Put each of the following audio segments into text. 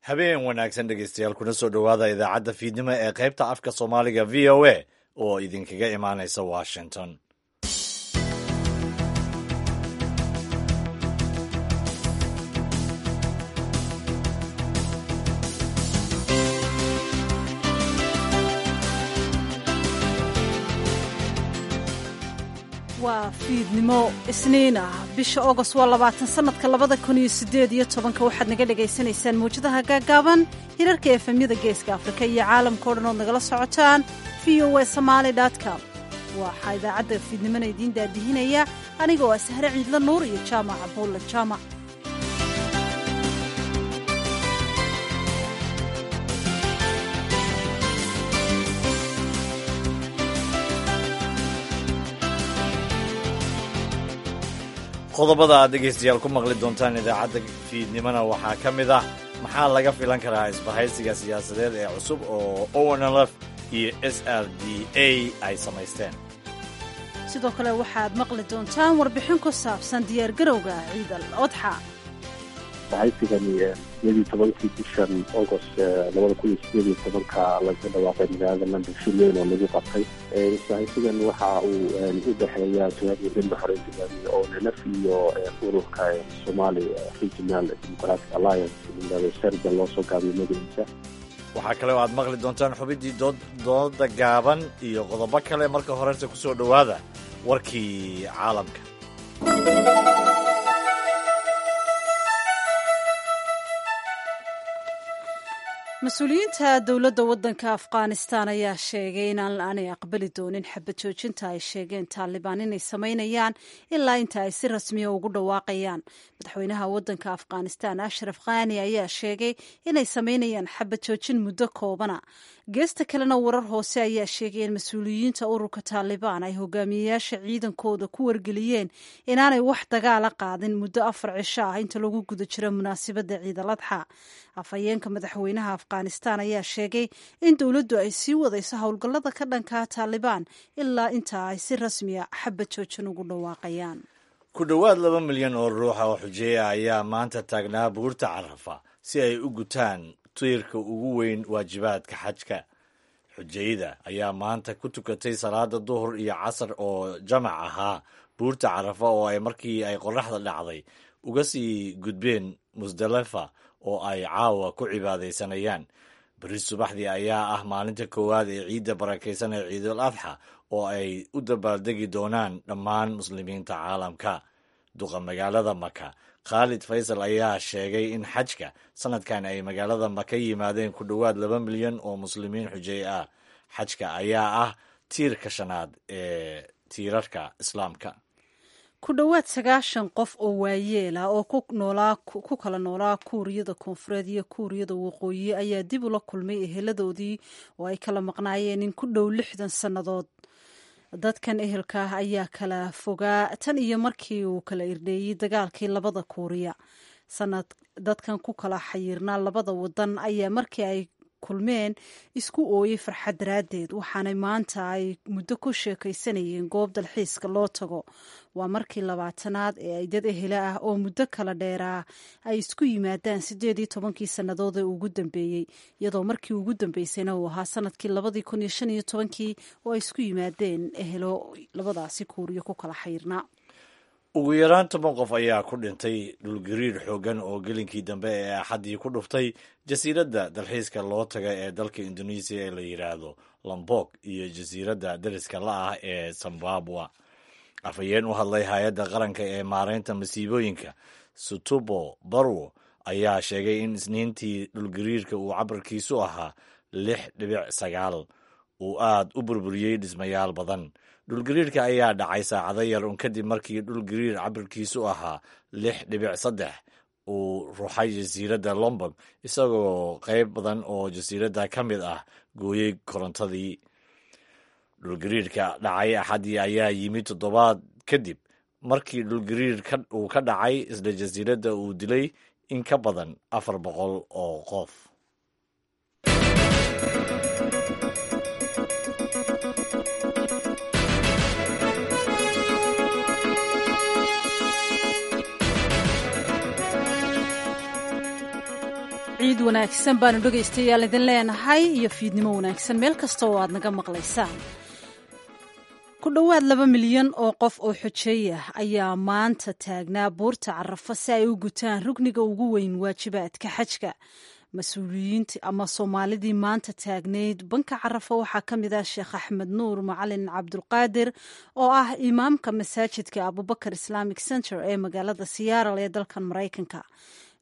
Habeen wanaagsan dhegeystayaal, kuna soo dhowaada idaacadda fiidnimo ee qaybta afka Soomaaliga VOA oo idinkaga imaanaysa Washington. Waa fiidnimo Isniin ah, bisha Ogost waa 20, sanadka 2018-ka. Waxaad naga dhagaysanaysaan mawjadaha gaaggaaban, hirarka efemyada Geeska Afrika iyo caalamka o dhan ood nagala socotaan VOA Somali com. Waxaa idaacadda fiidnimona idiin daadihinaya anigoo ah Sahre Ciidla Nuur iyo Jaamac Abuulle Jaamac. Qodobada aad dhegeystayaal ku maqli doontaan idaacadda fiidnimona waxaa ka mid ah: maxaa laga filan karaa isbahaysiga siyaasadeed ee cusub oo ONLF iyo SRDA ay samaysteen? Sidoo kale waxaad maqli doontaan warbixin ku saabsan diyaargarowga Ciid al Odxa. Bahaysigani 18-kii bishan Agost 2018-ka laga dhawaaqay magaalada London, shir weyn oo lagu qabtay. Isbahaysigan waxa uu u dhexeeya jabhadda Midna Xoreynta Hogaamiye ONLF iyo ururka Somali Regional Democratic Alliance layihahdo, SERDA loo soo gaabiyo magaciisa. Waxaa kale oo aad maqli doontaan xubintii dooda gaaban iyo qodobo kale. Marka horese kusoo dhowaada warkii caalamka. Mas-uuliyiinta dowladda waddanka Afghanistan ayaa sheegay in aanay aqbali doonin xabad joojinta ay sheegeen Taalibaan inay samaynayaan ilaa inta ay si rasmiya ugu dhawaaqayaan. Madaxweynaha waddanka Afghanistan, Ashraf Khani, ayaa sheegay inay samaynayaan xabad joojin muddo koobana. Geesta kalena, warar hoose ayaa sheegay in mas-uuliyiinta ururka Taalibaan ay hogaamiyeyaasha ciidankooda ku wargeliyeen inaanay wax dagaala qaadin muddo 4 cisho ah inta lagu guda jiro munaasabadda Ciidal Adxa. Afhayeenka madaxweynaha Afghanistan ayaa sheegay in dowladdu ay sii wadayso howlgallada ka dhankaa Taalibaan ilaa inta ay si rasmiya xabad joojin ugu dhawaaqayaan. Ku dhowaad 2 milyan oo ruuxa oo xujeeya ayaa maanta taagnaa buurta Carafa si ay u gutaan tiirka ugu weyn waajibaadka xajka. Xujayda ayaa maanta ku tukatay salaada duhur iyo casar oo jamac ahaa buurta Carafa, oo ay markii ay qorraxda dhacday uga sii gudbeen Musdalifa oo ay caawa ku cibaadaysanayaan. Beri subaxdii ayaa ah maalinta koowaad ee ciidda barakaysan ee Ciidul Adxa oo ay u dabaaldegi doonaan dhammaan muslimiinta caalamka. Duqa magaalada Maka, Khaalid Faysal, ayaa sheegay in xajka sanadkan ay magaalada Maka yimaadeen ku dhowaad 2 milyan oo muslimiin xujey ah. Xajka ayaa ah tiirka shanaad ee tiirarka Islaamka. Ku dhowaad 90 qof oo waayeel ah oo ku kala noolaa Kuuriyada Koonfureed iyo Kuuriyada Waqooyi ayaa dib ula kulmay eheladoodii oo ay kala maqnaayeen in ku dhow 60 sannadood. Dadkan ehelka ah ayaa kala fogaa tan iyo markii uu kala irdheeyey dagaalkii labada Kuuriya. Sanad dadkan ku kala xayiirnaa labada wadan ayaa markii ay kulmeen isku ooyey farxad daraaddeed, waxaanay maanta ay muddo ku sheekaysanayeen goob dalxiiska loo tago. Waa markii 20aad ee ay dad ehela ah oo muddo kala dheeraa ay isku yimaadaan 18-kii sannadood ee ugu dambeeyey, iyadoo markii ugu dambeysayna uu ahaa sanadkii 2015-kii oo ay isku yimaadeen ehelo labadaasi Kuuriyo ku kala xayiirnaa. Ugu yaraan 10 qof ayaa ku dhintay dhulgariir xooggan oo gelinkii dambe ee Axaddii ku dhuftay jasiiradda dalxiiska loo taga ee dalka Indoneesiya ee la yidhaahdo Lombok iyo jasiiradda dariska la ah ee Zimbabwe. Afhayeen u hadlay hay-adda qaranka ee maareynta masiibooyinka, Sutubo Barwo, ayaa sheegay in Isniintii dhulgariirka uu cabirkiisu ahaa 6.9 uu aad u burburiyey dhismayaal badan. Dhulgariirka ayaa dhacay saacado yar un kadib markii dhulgariir cabirkiisu ahaa 6.3 uu ruxay jasiiradda Lombok, isagoo qayb badan oo jasiiradda ka mid ah gooyey korontadii. Dhulgariirka dhacay Axaddii ayaa yimid toddobaad kadib markii dhulgariir uu ka dhacay isla jasiiradda uu dilay in ka badan 400 oo qof. Ciid wanaagsan baanu dhegaystayaal idin leenahay iyo fiidnimo wanaagsan meel kasta oo aad naga maqlaysaan. Ku dhowaad 2 milyan oo qof oo xujeey ah ayaa maanta taagnaa buurta Carafa si ay u gutaan rugniga ugu weyn waajibaadka xajka. Mas-uuliyiinta ama Soomaalidii maanta taagnayd banka Carafa waxaa ka mid ah Sheekh Axmed Nuur Macalin Cabdulqaadir, oo ah imaamka masaajidka Abubakar Islamic Center ee magaalada Seattle ee dalkan Maraykanka.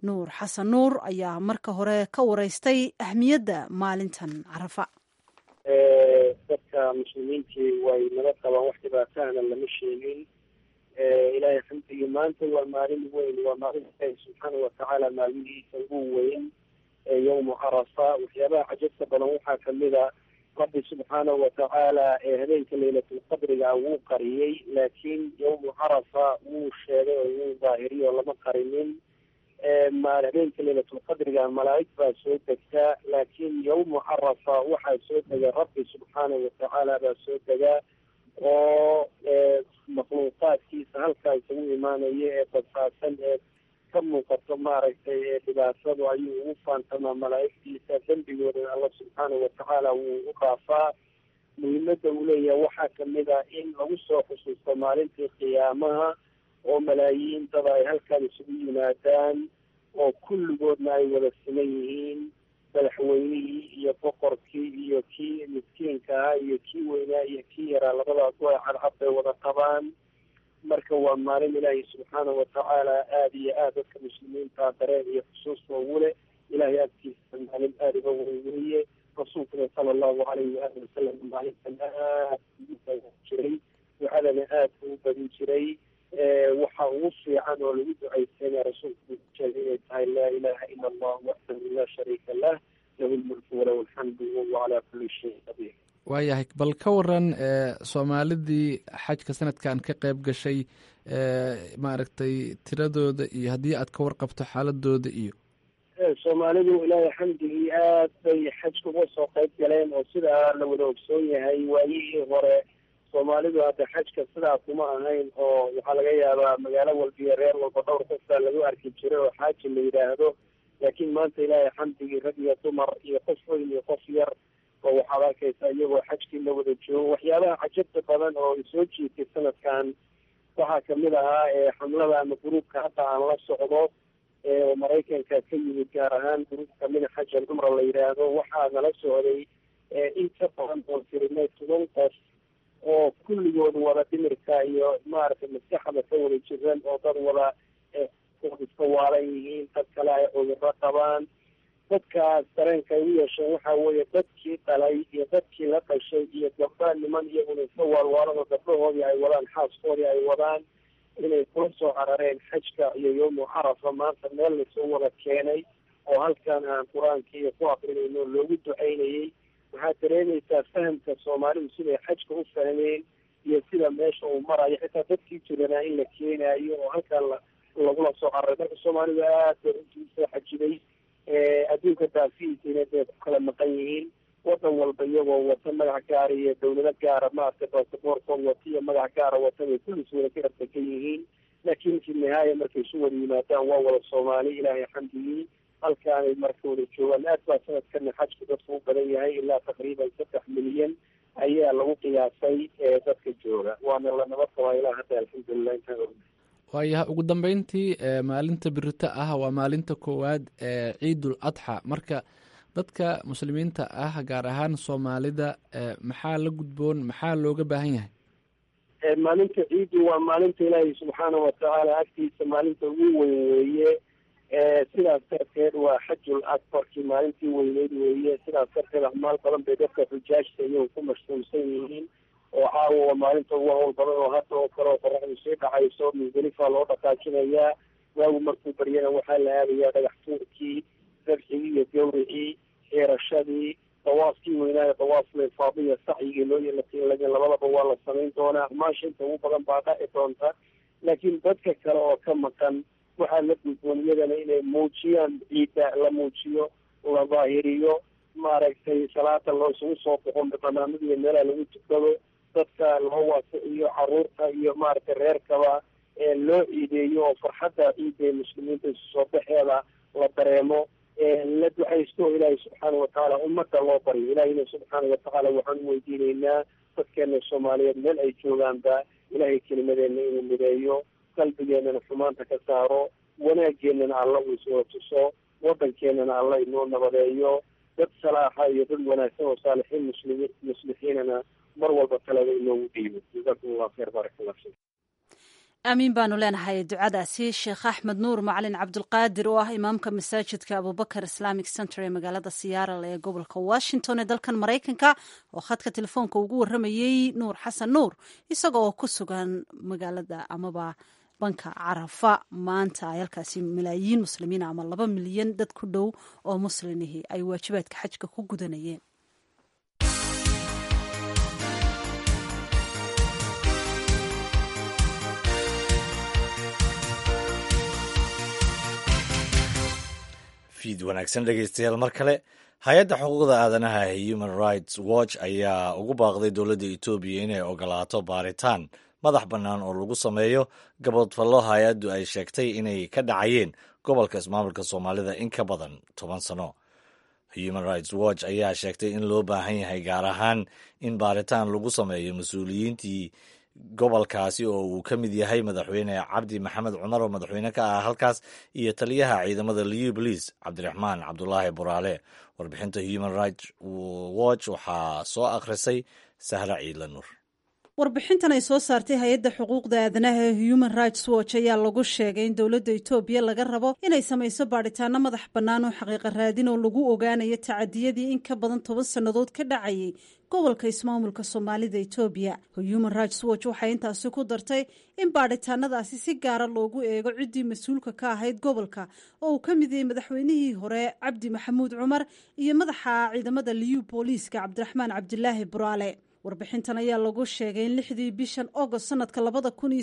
Nuur Xasan Nuur ayaa marka hore ka wareystay ahmiyadda maalintan Carafa. Dadka muslimiintii way nala qabaan, wax dhibaatahana lama sheegin, Ilaahay xamdigii. Maanta waa maalin weyn, waa maalin Ilaahay subxaana watacaala maalmihiisa ugu weyn, yowmu Carafa. Waxyaabaha cajabta badan waxaa kamid a, Rabbi subxaanahu watacaala ee habeenka Leylatulqadriga wuu qariyey, laakiin yowmu Carafa wuu sheegay oo wuu daahiriyay oo lama qarinin. Habeenka Leylatulqadriga malaa'ig baa soo degtaa, laakiin yowmu Carafa waxaa soo dega Rabbi subxaanahu watacaala baa soo dega, oo makhluuqaadkiisa halkaa isagu imaanaya ee badfaadsan ee ka muuqato maaragtay ee dhibaatadu ayuu ugu faantamaa malaa'igtiisa, dembigoodana Alla subxaanahu watacaala wuu u dhaafaa. Muhiimadda uu leeyahay waxaa kamid ah in lagu soo xusuusto maalintii qiyaamaha, oo malaayiin dada ay halkan isugu yimaadaan, oo kulligoodna ay wada siman yihiin, madaxweynihii iyo boqorkii iyo kii miskiinka ahaa iyo kii weynaa iyo kii yaraa, labadaas way cadcad bay wada qabaan. Marka waa maalin Ilaahay subxaanahu watacaala aada iyo aad dadka muslimiinta dareen iyo xusuusta ugu leh. Ilaahay agtiisa maalin aada uga weyn weeye. Rasuulkuna sala allahu calayhi waali wasalam maalintan aad ugu jiray, ducadana aad ugu badin jiray. Waxa ugu fiican oo lagu ducaysanaya rasuulku sheegay inay tahay "Laa ilaha ila Allah waxdahu laa shariika lah, lahu lmulku walahu alxamdu wahuwa calaa kulli shayin qadiir." Waayahay, bal ka waran Soomaalidii xajka sanadkan ka qayb gashay, maaragtay, tiradooda iyo haddii aad ka warqabto xaaladooda iyo Soomaalidu, Ilaahay xamdigii, aad bay xajka uga soo qayb galeen, oo sidaa la wada ogsoon yahay waayihii hore Soomaalidu hadda xajka sidaa kuma ahayn, oo waxaa laga yaabaa magaalo walba iyo reer walba dhowr qof baa lagu arki jiray oo xaaji la yidhaahdo. Laakiin maanta, Ilaahay xamdigii, rag iyo dumar iyo qof weyn iyo qof yar oo waxaad arkaysaa iyagoo xajkii la wada joogo. Waxyaabaha cajabta badan oo soo jiitay sanadkan waxaa kamid ahaa xamlada ama gruubka hadda aan la socdo oo Maraykanka ka yimid, gaar ahaan gruubka mina xaj al cumra la yidhaahdo. Waxaa nala socday in ka badan oo tirinay 10 qof oo kulligood wada dhimirka iyo maaragtay maskaxda ka wada jiran, oo dad wada iska waalan yihiin, dad kale ay cudurro qabaan. Dadkaas dareenka ay u yeesheen waxaa weeye dadkii dhalay iyo dadkii la dhashay iyo gabdha niman iyaguna iska waalwaalan oo gabdhahoodii ay wadaan, xaaskoodii ay wadaan, inay kula soo carareen xajka iyo yowmu Carafa. Maanta meel lasoo wada keenay oo halkan aan Qur-aanka iyo ku akrinayno, loogu ducaynayey. Waxaad dareemaysaa fahamka Soomaalidu siday xajka u fahmeen iyo sida meesha uu marayo, xitaa dadkii jiranaa in la keenaayo oo halkan lagula soo cararay. Marka Soomaalidu aad bay runtii usoo xajiday, adduunka daafihiisina bay ku kala maqan yihiin, wadan walba iyagoo wata magac gaara iyo dawlado gaara, maaragtay, basaboorkood wata iyo magac gaara wata bay kullis wada ka ardegan yihiin. Laakiin fi nihaaya markay isu wada yimaadaan waa wada Soomaali, Ilaahay xamdigii, halkaanay marka wada joogaan. Aad baa sanadkana xajku dadku u badan yahay, ilaa taqriiban 3 milyan ayaa lagu qiyaasay dadka jooga, waana la nabad qabaa ilaa hadda, alxamdulilah, intaan ogna. Waayahay, ugu dambeyntii, maalinta birito ah waa maalinta koowaad ee Ciidul Adxa. Marka dadka muslimiinta ah, gaar ahaan Soomaalida, maxaa la gudboon, maxaa looga baahan yahay? Maalinta ciiddu waa maalinta Ilaahay subxaana watacaala agtiisa maalinta ugu weyn weeye. Sidaas darteed waa xajul akbarkii, maalintii weyneyd weeye. Sidaas darteed acmaal badan bay dadka xujaajta iyagu ku mashquulsan yihiin, oo caawa waa maalinta ugu hawl badan, oo hadda oo kale oo qoraxdu sii dhacayso Musdalifa loo dhaqaajinayaa. Waagu markuu baryana waxaa la aadayaa dhagax tuurkii, dabxigii iyo gawricii, xiirashadii, dawaafkii weynaayo, dawaaful ifaadiya, sacyigii loo labadaba waa la samayn doonaa. Acmaasha inta ugu badan baa dhaci doonta, laakiin dadka kale oo ka maqan waxaa la gudboon iyagana inay muujiyaan ciidda, la muujiyo, la daahiriyo, maaragtay, salaada loo isugu soo baxo, banaanada iyo meelaha lagu tukado, dadka loo waasiciyo, caruurta iyo maaragtay reerkaba loo ciideeyo, oo farxadda ciidda ee muslimiinta isu soo baxeeda la dareemo. La ducaysto Ilaahay subxaana watacaala ummadda loo baryo. Ilaahayna subxaana watacaala waxaan u weydiinaynaa dadkeena Soomaaliyeed meel ay joogaanba Ilaahay kelimadeenna inuu mideeyo, qalbigeennana xumaanta ka saaro, wanaaggeennana Alla uu iswada tuso, waddankeenana Alla inoo nabadeeyo, dad salaaxa iyo dad wanaagsan oo saalixiin muslimiin muslixiinana mar walba talada inoogu dhiibo. Jazaakum Allah khayr, baarak Allah fiik. Aamiin baanu leenahay ducadaasi. Sheekh Axmed Nuur Macalin Cabdulqaadir oo ah imaamka masaajidka Abubakar Islamic Center ee magaalada Siyaaral ee gobolka Washington ee dalkan Maraykanka, oo khadka telefoonka ugu waramayey Nuur Xasan Nuur isaga oo ku sugan magaalada amaba banka Carafa maanta, ay halkaasi malaayiin muslimiin ama 2 milyan dad ku dhow oo muslimihii ay waajibaadka xajka ku gudanayeen. Fiid wanaagsan dhegeystayaal mar kale. Hay-adda xuquuqda aadanaha ee Human Rights Watch ayaa ugu baaqday dowladda Etoobiya inay ogolaato baaritaan madax bannaan oo lagu sameeyo gabodfallo hay-addu ay sheegtay inay ka dhacayeen gobolka ismaamulka Soomaalida in ka badan 10 sano. Human Rights Watch ayaa sheegtay in loo baahan yahay gaar ahaan in baaritaan lagu sameeyo mas-uuliyiintii gobolkaasi oo uu ka mid yahay Madaxweyne Cabdi Maxamed Cumar oo madaxweyne ka ah halkaas iyo taliyaha ciidamada Liyu Bolice Cabdiraxmaan Cabdulaahi Buraale. Warbixinta Human Rights Watch waxaa soo akhrisay Sahra Ciidla Nuur. Warbixintan ay soo saartay hay-adda xuquuqda aadanaha ee Human Rights Watch ayaa lagu sheegay in dowladda Etoobiya laga rabo inay samayso baadhitaano madax bannaan oo xaqiiqa raadin oo lagu ogaanayo tacadiyadii in ka badan 10 sannadood ka dhacayay gobolka ismaamulka Soomaalida Etoobiya. Human Rights Watch waxay intaasi ku dartay in baadhitaanadaasi si gaara loogu eego ciddii mas-uulka ka ahayd gobolka, oo uu ka mid yahay madaxweynihii hore Cabdi Maxamuud Cumar iyo madaxa ciidamada Liyu Booliiska Cabdiraxmaan Cabdilaahi Buraale. Warbixintan ayaa lagu sheegay in 6dii bishan Agost sanadka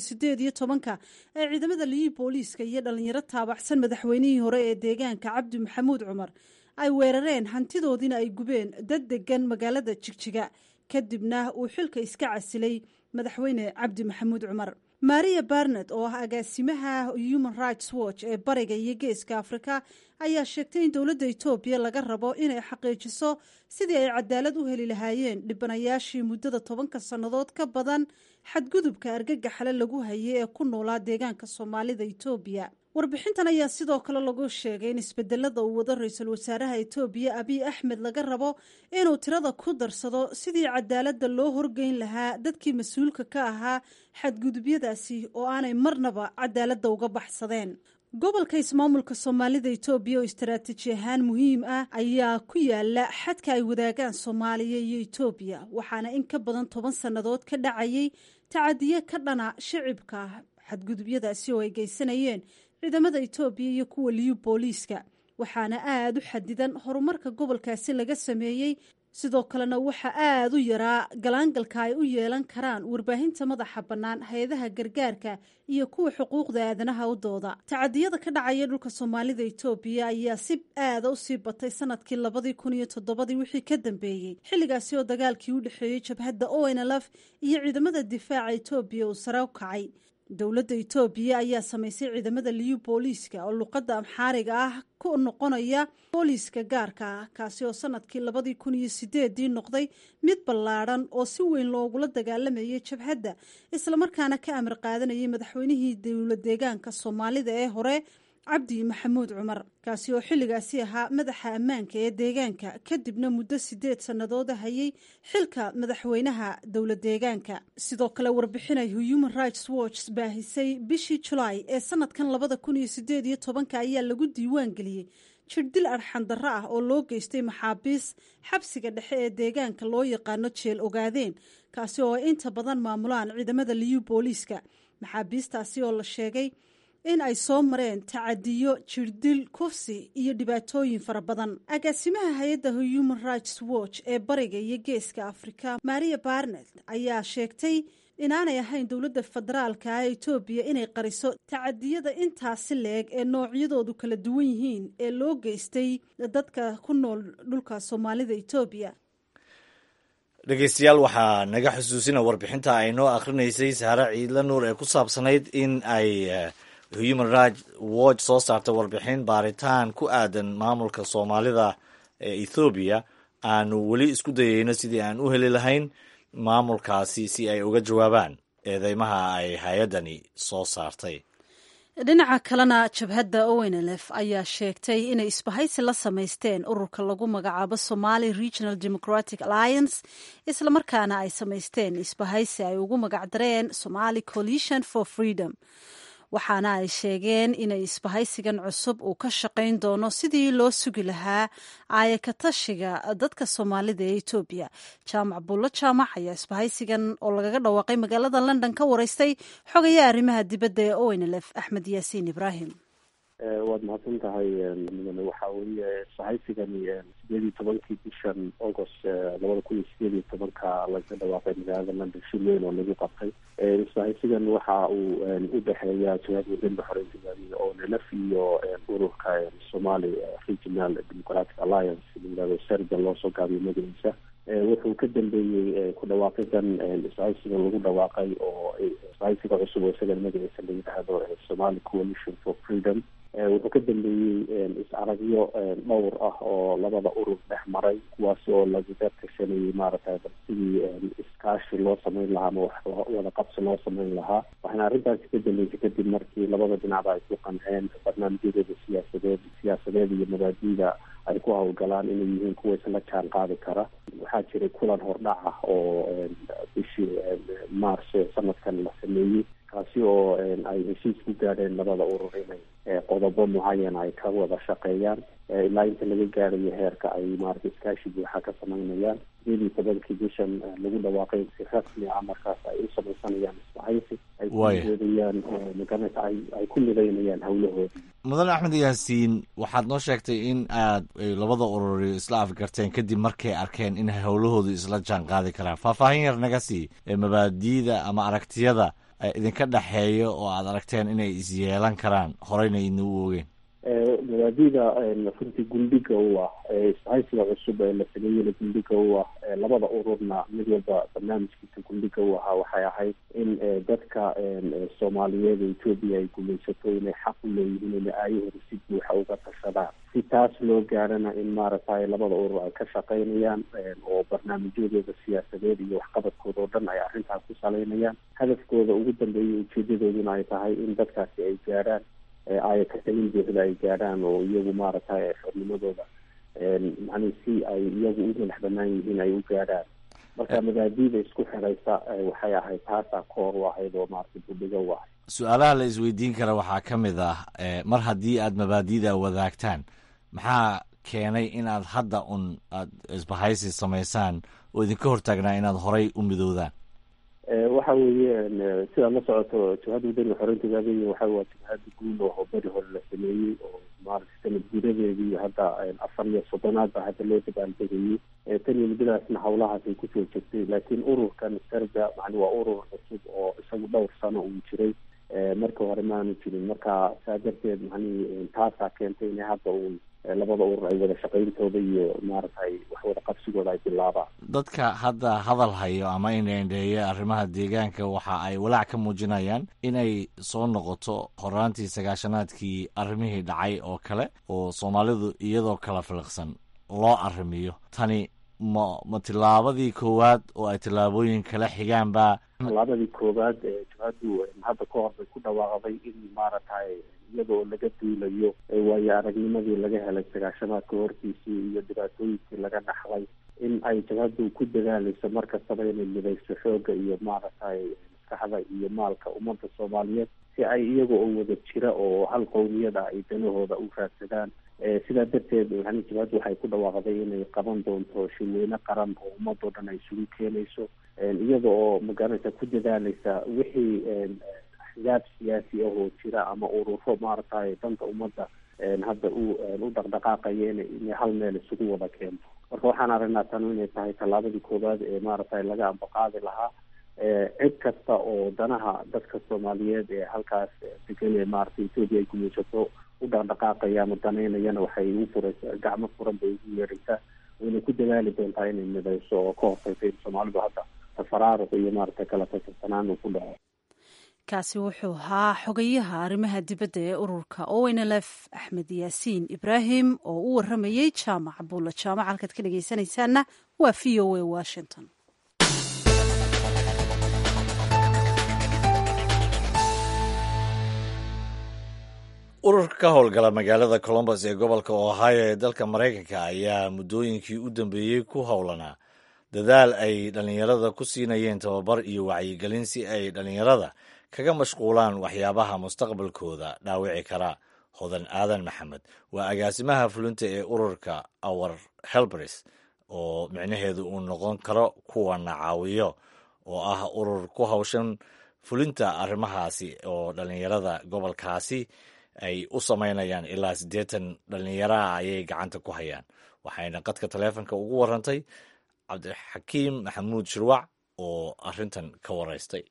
2018-ka ee ciidamada Liyu Booliiska iyo dhalinyaro taabacsan madaxweynihii hore ee deegaanka Cabdi Maxamuud Cumar ay weerareen, hantidoodiina ay gubeen dad degan magaalada Jigjiga, kadibna uu xilka iska casilay madaxweyne Cabdi Maxamuud Cumar. Maria Barnett oo ah agaasimaha Human Rights Watch ee bariga iyo geeska Afrika ayaa sheegtay in dowladda Etoobiya laga rabo inay xaqiijiso sidii ay cadaalad u heli lahaayeen dhibanayaashii muddada 10-ka sannadood ka badan xadgudubka argagaxale lagu hayay ee ku noolaa deegaanka Soomaalida Etoobiya. Warbixintan ayaa sidoo kale lagu sheegay in isbedelada uu wado ra-iisul wasaaraha Etoobiya Abiy Axmed laga rabo inuu tirada ku darsado sidii cadaaladda loo horgeyn lahaa dadkii mas-uulka ka ahaa xadgudubyadaasi oo aanay marnaba cadaaladda uga baxsadeen. Gobolka ismaamulka Soomaalida Etoobiya oo istaraatiiji ahaan muhiim ah ayaa ku yaala xadka ay wadaagaan Soomaaliya iyo Etoobiya, waxaana in ka badan 10 sannadood ka dhacayay tacadiye ka dhana shicibka, xadgudubyadaasi oo ay geysanayeen ciidamada Etoobiya iyo kuwa Liyu Booliiska, waxaana aada u xadidan horumarka gobolkaasi laga sameeyey. Sidoo kalena waxaa aada u yaraa galaangalka ay u yeelan karaan warbaahinta madaxa bannaan, hay-adaha gargaarka iyo kuwa xuquuqda aadanaha u dooda. Tacadiyada ka dhacaya dhulka Soomaalida Etoobiya ayaa si aada u sii batay sanadkii 2007-dii wixii ka dambeeyey, xilligaasi oo dagaalkii u dhexeeyey jabhadda ONLF iyo ciidamada difaaca Etoobiya uu sare u kacay. Dowladda Etoobiya ayaa samaysay ciidamada Liyu Booliiska oo luqadda Amxaariga ah ku noqonaya booliiska gaarka ah, kaasi oo sanadkii 2008-dii noqday mid ballaadhan oo si weyn loogula dagaalamayay jabhadda, islamarkaana ka amar qaadanayay madaxweynihii dowlad deegaanka Soomaalida ee hore Cabdi Maxamuud Cumar, kaasi oo xilligaasi ahaa madaxa ammaanka ee deegaanka, kadibna muddo 8 sannadooda hayay xilka madaxweynaha dowlad deegaanka. Sidoo kale warbixinay Human Rights Watch baahisay bishii Julaay ee sanadkan 2018-ka ayaa lagu diiwaan geliyey jirdil arxandarro ah oo loo geystay maxaabiis xabsiga dhexe ee deegaanka loo yaqaano Jeel Ogaadeen, kaasi oo ay inta badan maamulaan ciidamada Liyu Booliiska, maxaabiistaasi oo la sheegay in ay soo mareen tacadiyo, jirdil, kufsi iyo dhibaatooyin fara badan. Agaasimaha hay-adda Human Rights Watch ee bariga iyo geeska Afrika Maria Barnet ayaa sheegtay inaanay ahayn dowladda federaalka ee Etoobiya inay qariso tacadiyada intaasi leeg ee noocyadoodu kala duwan yihiin ee loo geystay dadka ku nool dhulka Soomaalida Etoobiya. Dhegeystayaal, waxaa naga xusuusina warbixinta ay noo akhrinaysay Saare Ciidla Nuur ee ku saabsanayd in ay Human Rights Watch soo saartay warbixin baaritaan ku aadan maamulka Soomaalida ee Ethoobiya, aanu weli isku dayeyno sidii aan u heli lahayn maamulkaasi si ay uga jawaabaan eedeymaha ay hay-addani soo saartay. Dhinaca kalena, jabhadda ONLF ayaa sheegtay inay isbahaysi la samaysteen ururka lagu magacaabo Somali Regional Democratic Alliance, islamarkaana ay samaysteen isbahaysi ay ugu magacdareen Somali Coalition for Freedom. Waxaana ay sheegeen inay isbahaysigan cusub uu ka shaqayn doono sidii loo sugi lahaa aayakatashiga dadka Soomaalida ee Etoobiya. Jaamac Bullo Jaamac ayaa isbahaysigan oo lagaga dhawaaqay magaalada London ka wareystay xogayaha arrimaha dibadda ee ONLF, Axmed Yaasiin Ibraahim. Waad mahadsan tahay, mudane. Waxaa weeye isbahaysigani 18-kii bishan August 2018-ka laga dhawaaqay magaalada London, shir weyn oo lagu qabtay. Isbahaysigan waxa uu u dhexeeya Jabhadda Wadaniga Xoreynta Ogaadenya ONLF iyo ururka Somali Regional Democratic Alliance la yidhahdo, SERDA loo soo gaabiyo magaciisa. Wuxuu ka dambeeyey ku dhawaaqidan isbahaysiga lagu dhawaaqay oo isbahaysiga cusub oo isagana magaciisa la yidhaahdo Somali Coalition for Freedom, wuxuu ka dambeeyey is-aragyo dhowr ah oo labada urur dhex maray, kuwaas oo lagaga tashanayay maaragtay bal sidii iskaashi loo sameyn lahaa ama wax wada qabsi loo sameyn lahaa. Waxaana arrintaasi ka dambeysay kadib markii labada dhinacba ay ku qanceen barnaamijyadooda siyaasadeed iyo mabaadiida ay ku howlgalaan inay yihiin kuwa isla jaan qaadi kara. Waxaa jiray kulan hordhac ah oo bishii March sanadkan la sameeyey, kaasi oo ay heshiis ku gaadheen labada urur inay qodobo mucayan ay ka wada shaqeeyaan ilaa inta laga gaarayo heerka ay maaragtay iskaashi buuxa ka sameynayaan. 18-kii bishan lagu dhawaaqay si rasmi ah markaas ay u samaysanayaan isbahaysi ay ku doodayaan oo magaranaysa ay ku midaynayaan howlahoodii. Mudane Axmed Yaasiin, waxaad noo sheegtay in aad labada ururi isla afgarteen kadib markay arkeen in howlahoodu isla jaan qaadi karaan. Faahfaahin yar naga sii mabaadiida ama aragtiyada idinka dhexeeya oo aad aragteen inay isyeelan karaan horeyna idin u ogeen. Mabaadiida runtii gundhiga u ah isbahaysiga cusub ee la sameeyeyna, gundhiga u ah labada ururna mid walba barnaamijkiisa gundhiga u ahaa, waxay ahayd in dadka Soomaaliyeed ee Etoobiya ay gumaysato inay xaq u leeyihiin inay aayahooda si buuxa uga tashadaan. Si taas loo gaarana in maaragtay labada urur ay ka shaqaynayaan oo barnaamijyadooda siyaasadeed iyo waxqabadkooda oo dhan ay arrintaas ku salaynayaan, hadafkooda ugu dambeeya ujeedadooduna ay tahay in dadkaasi ay gaarhaan ay ka talin buuxda ay gaadhaan oo iyagu maaragtay xornimadooda macnihi si ay iyagu u madax banaan yihiin ay u gaadhaan. Marka mabaadiida isku xidhaysa waxay ahayd taasaa koor u ahayd oo maaragtay budhiga u ahayd. Su-aalaha la isweydiin kara waxaa ka mid ah, mar haddii aad mabaadiida wadaagtaan, maxaa keenay inaad hadda un aad isbahaysi samaysaan oo idinka hortaagnaa inaad horay u midoodaan? Waxa weeye, sidaad la socoto, Jabhadda Wadaniga Xoreynta Ogaadenya waxa waa jabhadda guul oo beri hore la sameeyey oo maaragtay sanad gudadeedii hadda 34aad baa hadda loo dabaaldegayey. Tan iyo muddadaasna howlahaas ay kusoo jirtay, laakiin ururkan SERDA macni waa urur cusub oo isagu dhowr sano uu jiray, markii hore maanu jirin. Marka saa darteed macnihi taasaa keentay inay hadda uun labada urur ay wada shaqayntooda iyo maaragtay wax wada qabsigooda ay bilaabaan. Dadka hadda hadal hayo ama indheindheeya arrimaha deegaanka waxa ay walaac ka muujinayaan inay soo noqoto horaantii 90-aadkii arrimihii dhacay oo kale oo Soomaalidu iyadoo kala filiqsan loo arrimiyo. Tani ma tillaabadii koowaad oo ay tillaabooyin kala xigaan ba? Tallaabadii koowaad ee jabhaddu hadda ka hor bay ku dhawaaqday in maaragtay iyadoo laga duulayo waayo aragnimadii laga helay 90-aadka hortiisii iyo dhibaatooyinkii laga dhaxlay, in ay jabhaddu ku dadaalayso mar kastaba inay midayso xoogga iyo maaragtay maskaxda iyo maalka ummadda Soomaaliyeed si ay iyaga oo wada jira oo hal qowmiyad ah ay danahooda u raadsadaan. Sidaa darteed yani jabhaddu waxay ku dhawaaqday inay qaban doonto shirweyne qaran oo ummadoo dhan ay isugu keenayso, iyada oo magaranaysa ku dadaalaysa wixii axzaab siyaasi ah oo jira ama ururo maaragtay danta ummadda hadda u dhaqdhaqaaqaya inay hal meel isugu wada keento. Marka waxaan aragnaa tanu inay tahay tallaabadii koowaad ee maaragtay laga ambaqaadi lahaa. Cid kasta oo danaha dadka Soomaaliyeed ee halkaas degan ee maaragtay Etoobiya ay gumaysato u dhaqdhaqaaqaya ama danaynayana waxay ugu furaysaa gacmo furan bay ugu yeeraysaa, wayna ku dadaali doontaa inay midayso oo ka hortagto in Soomaalidu hadda tafaraaruq iyo maaragtay kala tasarsanaan uu ku dhaco. Kaasi wuxuu ahaa xogayaha arrimaha dibadda ee ururka ONLF, Axmed Yaasiin Ibraahim, oo u waramayey Jaamac Buulla Jaamac. Halkaad ka dhegeysanaysaana waa VOA Washington. Ururka ka howlgala magaalada Columbus ee gobolka Ohio ee dalka Maraykanka ayaa muddooyinkii u dambeeyey ku howlanaa dadaal ay dhallinyarada ku siinayeen tababar iyo wacyigelin si ay dhallinyarada kaga mashquulaan waxyaabaha mustaqbalkooda dhaawici kara. Hodan Aadan Maxamed waa agaasimaha fulinta ee ururka Our Helpers, oo micnaheedu uu noqon karo kuwana caawiyo, oo ah urur ku hawshan fulinta arrimahaasi oo dhallinyarada gobolkaasi ay u samaynayaan. Ilaa 80 dhallinyaraha ayay gacanta ku hayaan, waxayna qadka taleefonka ugu warantay Cabdixakiim Maxamuud Shirwac oo arrintan ka waraystay.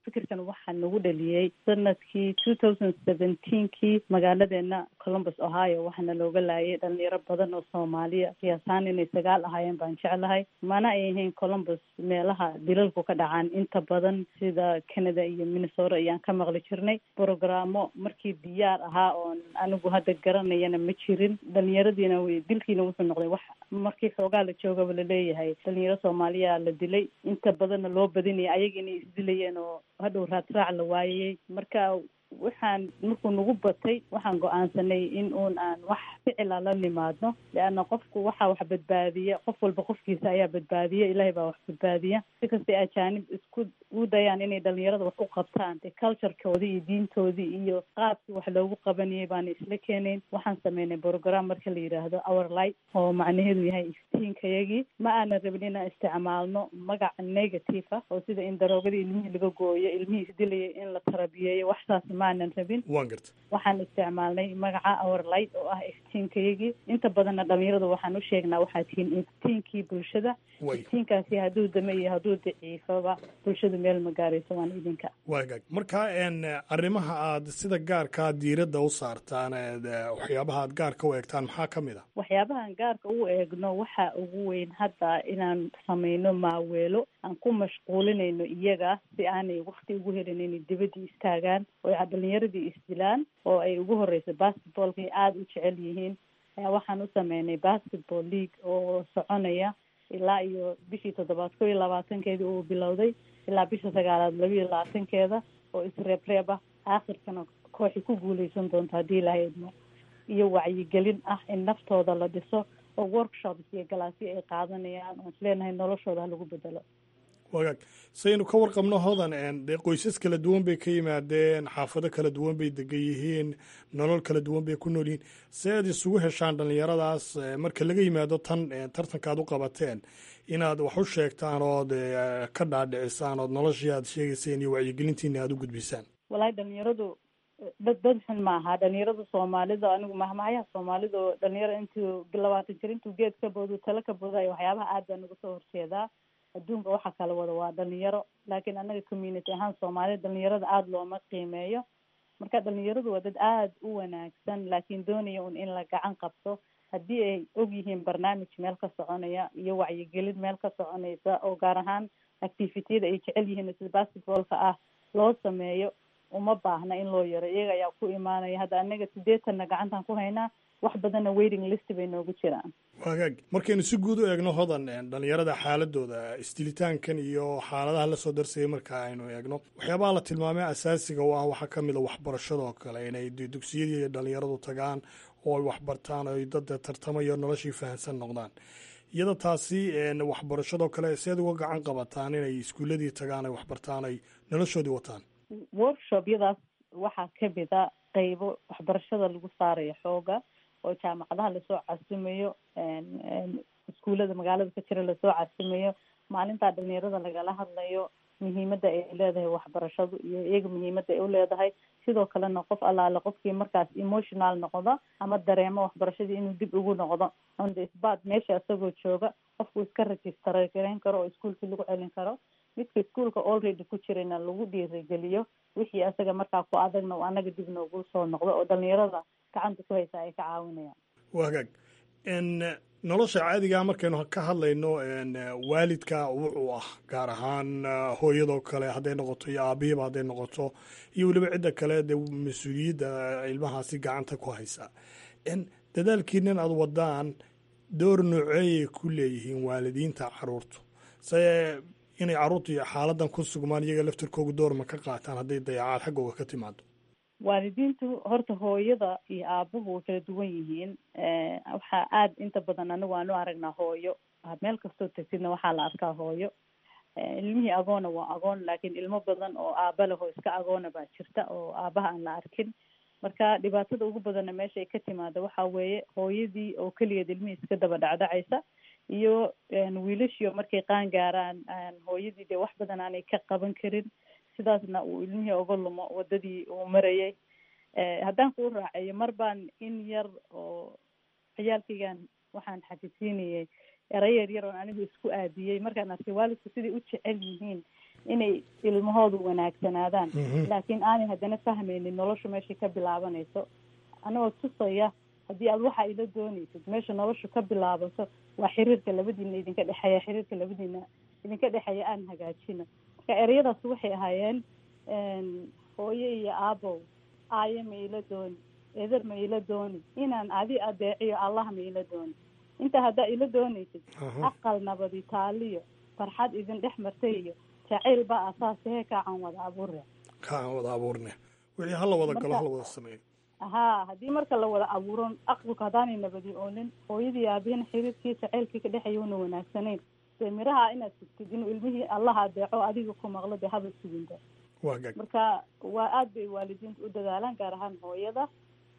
Fikirkan waxaa nagu dhaliyey sanadkii 2017-kii magaaladeena Columbus, Ohio. Waxaana looga laayay dhalinyaro badan oo Soomaaliya, qiyaasaan inay sagaal ahaayeen baan jeclahay. Mana ay ahayn Columbus meelaha dilalku ka dhacaan inta badan, sida Canada iyo Minnesota ayaan ka maqli jirnay. Brogaraamo markii diyaar ahaa oon anigu hadda garanayana ma jirin. Dhalinyaradiina dilkiina wuxuu noqday wax markii xoogaa la joogaba laleeyahay dhalinyaro Soomaaliya la dilay, inta badanna loo badinaya ayaga inay isdilayeen oo hadhow raadraac la waayay. Marka waxaan markuu nagu batay, waxaan go-aansanay in uun aan wax ficila la nimaadno, leanna qofku waxaa wax badbaadiya, qof walba qofkiisa ayaa badbaadiya, Ilaahay baa wax badbaadiya. Si kastay ajaanib isku u dayaan inay dhalinyarada wax u qabtaan, dee culturekoodii iyo diintoodii iyo qaabkii wax loogu qabanayay baana isla keenayn. Waxaan sameynay program marka la yidhaahdo Our Light, oo macnaheedu yahay iftiinkayagii. Ma aanan rabin inaan isticmaalno magac negative ah, oo sida in daroogadii ilmihii laga gooyo, ilmihii isdilayay in la tarabiyeeyo, waxsaas ma aanan rabin. Waan garta. Waxaan isticmaalnay magaca Our Light, oo ah iftiinkayagii. Inta badanna dhalinyaradu waxaan u sheegnaa, waxaa tihiin iftiinkii bulshada. Iftiinkaasi hadduu dame iyo hadduu daciifaba, bulshadu meel ma gaarayso, waan idinka. Waagaag, marka arrimaha aad sida gaarkaa diiradda u saartaan, waxyaabaha aad gaarka u eegtaan, maxaa ka mid a? Waxyaabahaan gaarka u eegno waxa ugu weyn hadda inaan samayno maaweelo aan ku mashquulinayno iyaga, si aanay wakti ugu helin inay dibadii istaagaan oo ay dhalinyaradii isdilaan, oo ay ugu horeyso basketballka ay aada u jecel yihiin. Waxaan u sameynay basketball league oo soconaya ilaa iyo bishii toddobaad 21-keedii uu bilowday, ilaa bisha sagaalaad 22-keeda, oo isreebreeb ah, aakhirkana kooxi ku guuleysan doonto haddii Ilaahay idmo. Iyo wacyigelin ah in naftooda la dhiso, oo workshops iyo galaasyo ay qaadanayaan oon isleenahay noloshooda ha lagu bedelo. Wagaag, saynu ka warqabno, Hodan, dee qoysas kala duwan bay ka yimaadeen, xaafado kala duwan bay degan yihiin, nolol kala duwan bay ku nool yihiin. See aad isugu heshaan dhallinyaradaas, marka laga yimaado tan tartanka aad u qabateen, inaad wax u sheegtaan ood ka dhaadhicisaan ood noloshii aad sheegayseen iyo wacyigelintiina aad u gudbisaan? Wallaahi dhalinyaradu dad xun maaha. Dhalinyarada Soomaalida, anigu mahmahayaha Soomaalida oo dhalinyaro intuu 20 jir intuu geed ka boodu tala ka boodayo, waxyaabaha aad baan uga soo horjeedaa. Adduunka waxa kala wada waa dhalinyaro, laakiin annaga community ahaan Soomaalida dhalinyarada aada looma qiimeeyo. Marka dhalinyaradu waa dad aada u wanaagsan, laakiin doonaya un in la gacan qabto. Haddii ay og yihiin barnaamij meel ka soconaya iyo wacyigelin meel ka soconaysa, oo gaar ahaan activitiyada ay jecel yihiin sida basketballka ah loo sameeyo, uma baahna in loo yaro, iyaga ayaa ku imaanaya. Hadda annaga 80-na gacantaan ku haynaa, wax badanna waiting list bay noogu jiraan. Wagaag, markaynu si guud u eegno, Hodan, dhalinyarada xaaladooda isdilitaankan iyo xaaladaha lasoo darsayay, marka aynu eegno waxyaabaha la tilmaamay asaasiga u ah, waxaa ka mid a waxbarashada oo kale, inay dugsiyadii dhalinyaradu tagaan oo ay waxbartaan oo ay dad tartamayo noloshii fahansan noqdaan. Iyada taasi waxbarashadoo kale, seed uga gacan qabataan inay iskuuladii tagaan, ay waxbartaan, ay noloshoodii wataan? Workshobyadaas waxaa kamid a qeybo waxbarashada lagu saarayo xooga, oo jaamacadaha lasoo casumayo, iskuullada magaalada ka jira lasoo casumayo, maalintaa dhalinyarada lagala hadlayo muhiimadda ay leedahay waxbarashadu iyo iyaga muhiimadda ay uleedahay. Sidoo kalena qof allaale qofkii markaas emotional noqdo ama dareemo waxbarashadii inuu dib ugu noqdo, on the spot meesha isagoo jooga qofku iska register gareyn karo oo iskuolkii lagu celin karo. Midka iskuolka already ku jirayna lagu dhiirigeliyo wixii asaga markaa ku adagna uu annaga dib noogu soo noqdo, oo dhalinyarada gacanta ku haysa ay ka caawinayaan. Wagaag, Nolosha caadigaa markaynu ka hadlayno, waalidka wuxuu ah gaar ahaan hooyadoo kale hadday noqoto iyo aabihiiba hadday noqoto iyo weliba cidda kale dee mas-uuliyadda ilmahaasi gacanta ku haysa, dadaalkiinan aad wadaan door nooceeyay ku leeyihiin waalidiinta caruurtu se inay carruurtu xaaladan ku sugmaan, iyaga laftirkooga door ma ka qaataan hadday dayacaad xaggooga ka timaado? Waalidiintu horta hooyada iyo aabuhu way kala duwan yihiin. Waxaa aada inta badan anigu aan u aragnaa hooyo, meel kastoo tagtidna waxaa la arkaa hooyo. Ilmihii agoona waa agoon, laakiin ilmo badan oo aaba leh oo iska agoona baa jirta oo aabaha aan la arkin. Marka dhibaatada ugu badanna meesha ay ka timaada waxaa weeye hooyadii oo keligeed ilmihii iska daba dhacdhacaysa iyo wiilashiio markay qaan gaaraan hooyadii dee wax badan aanay ka qaban karin, sidaasna uu ilmihii oga lumo wadadii uu marayay. Haddaan kuu raacayo, mar baan in yar oo ciyaalkaygan waxaan xafisiinayay eray yar yar oon anigu isku aadiyey markaan arkay waalidku siday u jecel yihiin inay ilmahoodu wanaagsanaadaan, laakiin aanay haddana fahmaynin noloshu meeshay ka bilaabanayso. Anagoo tusaya, haddii aad waxa ila doonaysid, meesha noloshu ka bilaabato waa xiriirka labadiina idinka dhexeeya, xiriirka labadiina idinka dhexeeya aan hagaajino. Marka ereyadaas waxay ahaayeen: hooyo iyo aabow, aayo ma ila dooni, eder ma ila dooni, inaan adi adeeciyo Allah ma ila dooni. Intaa haddaa ila doonaysid, aqal nabadi taaliyo farxad idin dhex martay iyo jacayl baa asaasahee kaacan wada abuurne. Kaacan wada abuurne, wixii hala wada galo, hala wada sameeyo. Ha, haddii marka la wada abuuro aqalku, haddaanay nabadi oonin, hooyadii aabihina xiriirkii jacaylkii ka dhexeeya una wanaagsanayn, dee miraha inaad sugtid inuu ilmihii Allah adeeco adiga ku maqlo, dee haba suginba. Marka waa aad bay waalidiinta u dadaalaan, gaar ahaan hooyada.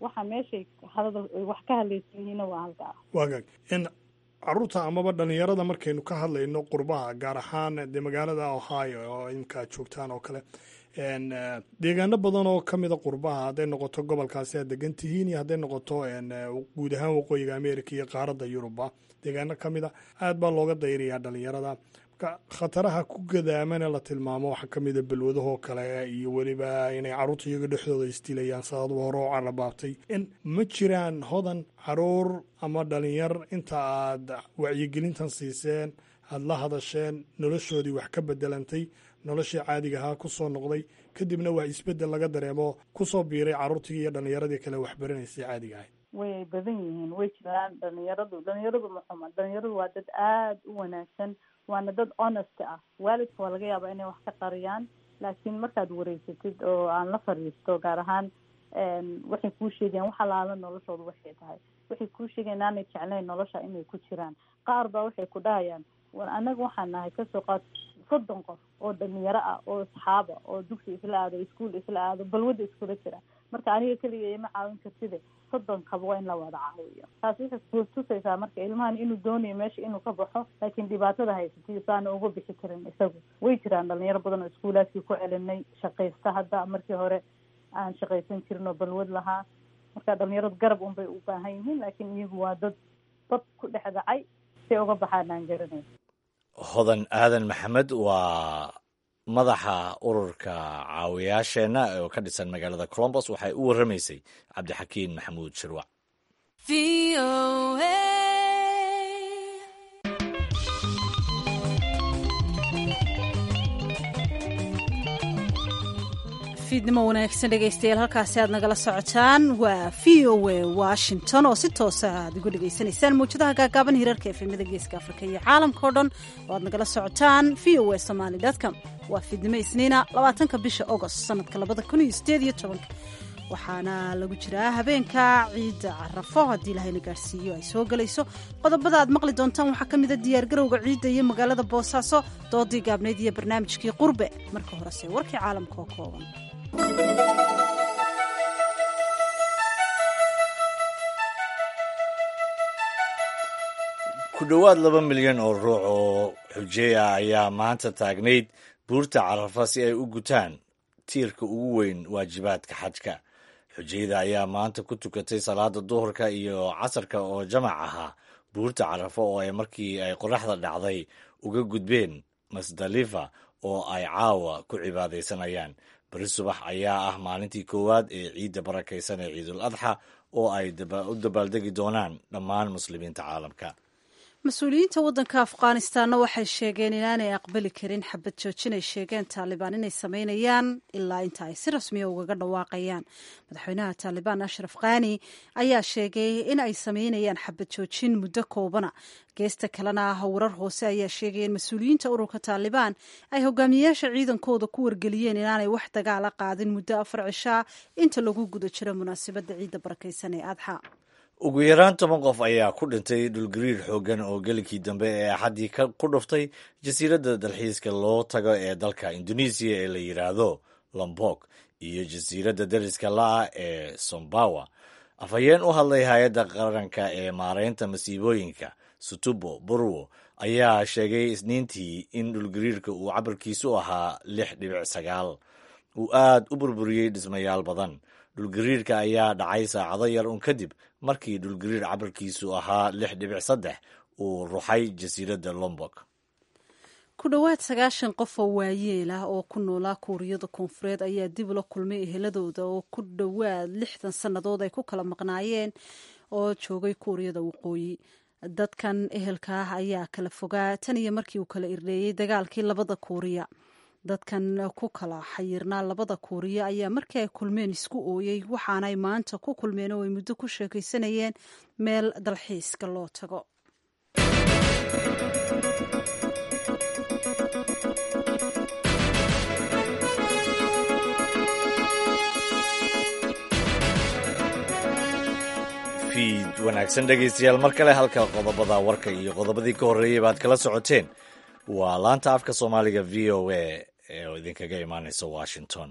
Waxa meeshay hadal wax ka hadlaysan yihiinna waa halka ah. Wagaag, in caruurta amaba dhalinyarada markaynu ka hadlayno qurbaha, gaar ahaan dee magaalada Ohio oo imka aad joogtaan oo kale, deegaano badan oo ka mida qurbaha, hadday noqoto gobolkaasi aad degan tihiin iyo hadday noqoto guud ahaan waqooyiga America iyo qaaradda Yuruba, deegaano ka mida aad baa looga dayrayaa dhalinyarada. Marka khataraha ku gadaamana la tilmaamo waxaa ka mida balwadahoo kale iyo weliba inay carruurta iyaga dhexdooda isdilayaan, saadaduba hore oo carabaabtay. Ma jiraan, Hodan, caruur ama dhalinyar inta aad wacyigelintan siiseen, aada la hadasheen, noloshoodii wax ka bedelantay, noloshii caadiga ahaa ku soo noqday, kadibna wax isbeddel laga dareemo kusoo biiray carruurtii iyo dhalinyaradii kale waxbaranaysay caadiga ahayd? Way badan yihiin, way jiraan. Dhalinyaradu ma xuma, dhalinyaradu waa dad aada u wanaagsan, waana dad honest ah. Waalidka waa laga yaabaa inay wax ka qariyaan, laakiin markaad wareysatid oo aan la fadhiisto gaar ahaan, waxay kuu sheegayaan wax alaala noloshoodu waxay tahay. Waxay kuu sheegayan inaanay jeclayn nolosha inay ku jiraan. Qaar baa waxay ku dhahayaan, war annaga waxaan nahay kasoo qaad 30 qof oo dhalinyaro ah oo asxaaba oo dugsi isla aado, iskuol isla aado, balwada iskula jira. Marka aniga keliga ima caawin kartide, 30kaba waa in la wada caawiyo. Taas waxay kutusaysaa marka ilmahan inuu doonayo meesha inuu ka baxo, laakiin dhibaatada haysatiyo saana uga bixi karin isagu. Way jiraan dhalinyaro badan oo iskuulaadkii ku celinay, shaqaysta hadda, markii hore aan shaqaysan jirin oo balwad lahaa. Marka dhalinyaradu garab unbay u baahan yihiin, laakiin iyagu waa dad dad ku dhex dhacay, say uga baxaan aan garanayn. Hodan Aadan Maxamed waa madaxa ururka caawiyaasheenna oo ka dhisan magaalada Colombos. Waxay u warramaysay Cabdixakiin Maxamuud Shirwac. Fiidnimo wanaagsan dhegaystayaal, halkaasi aad nagala socotaan waa v o a Washington oo si toosa aad uga dhegaysanaysaan mawjadaha gaagaaban, hirarka efemada geeska Afrika iyo caalamka o dhan oo aad nagala socotaan v o a somaly com. Waa fiidnimo Isniina, 20ka bisha Agost sanadka 2018, waxaana lagu jiraa habeenka ciidda Carafo haddii Ilahayna gaarsiiyo ay soo gelayso. Qodobada aad maqli doontaan waxaa ka mida diyaargarowga ciidda iyo magaalada Boosaaso, doodii gaabnayd iyo barnaamijkii Qurbe. Marka horese warkii caalamka oo kooban. Ku dhowaad 2 milyan oo ruux oo xujeey ah ayaa maanta taagnayd buurta Carafa si ay u gutaan tiirka ugu weyn waajibaadka xajka. Xujeyda ayaa maanta ku tukatay salaada duhurka iyo casarka oo jamac ahaa buurta Carafa, oo ay markii ay qoraxda dhacday uga gudbeen Masdalifa oo ay caawa ku cibaadaysanayaan. Beri subax ayaa ah maalintii koowaad ee ciidda barakaysan ee Ciidul Adxa oo ay u dabaaldegi doonaan dhammaan muslimiinta caalamka. Mas-uuliyiinta waddanka Afghanistanna waxay sheegeen inaanay aqbali karin xabad joojin ay sheegeen Taalibaan inay sameynayaan ilaa inta ay si rasmiya ugaga dhawaaqayaan. Madaxweynaha Taalibaan Ashraf Khani ayaa sheegay in ay sameynayaan xabad joojin muddo koobana. Geesta kalena ah, warar hoose ayaa sheegaya in mas-uuliyiinta ururka Taalibaan ay hogaamiyeyaasha ciidankooda ku wargeliyeen inaanay wax dagaala qaadin muddo 4 cishaa inta lagu guda jiro munaasabadda ciidda barakaysan ee Adxa. Ugu yaraan 10 qof ayaa ku dhintay dhulgariir xooggan oo gelinkii dambe ee Axaddii ku dhuftay jasiiradda dalxiiska loo tago ee dalka Indonesiya ee la yidhaahdo Lombok iyo jasiiradda dariska la-ah ee Sombawa. Afhayeen u hadlay hay-adda qaranka ee maareynta masiibooyinka, Sutopo Purwo, ayaa sheegay Isniintii in dhulgariirka uu cabirkiisu ahaa 6.9 uu aad u burburiyey dhismayaal badan. Dhulgariirka ayaa dhacay saacado yar un kadib markii dhulgariir cabirkiisu ahaa 6.3 uu ruxay jasiiradda Lombok. Ku dhowaad 90 qof oo waayeel ah oo ku noolaa Kuuriyada Koonfureed ayaa dib ula kulmay eheladooda oo ku dhowaad 60 sannadood ay ku kala maqnaayeen oo joogay Kuuriyada Waqooyi. Dadkan ehelka ah ayaa kala fogaa tan iyo markii uu kala irdheeyey dagaalkii labada Kuuriya. Dadkan ku kala xayirnaa labada Kuuriya ayaa markii ay kulmeen isku ooyey, waxaanay maanta ku kulmeen oo ay muddo ku sheekaysanayeen meel dalxiiska loo tago. Fiid wanaagsan, dhegaystayaal, mar kale. Halka qodobada warka iyo qodobadii ka horreeyey baad kala socoteen waa laanta afka Soomaaliga VOA ee idinkaga imaaneysa Washington.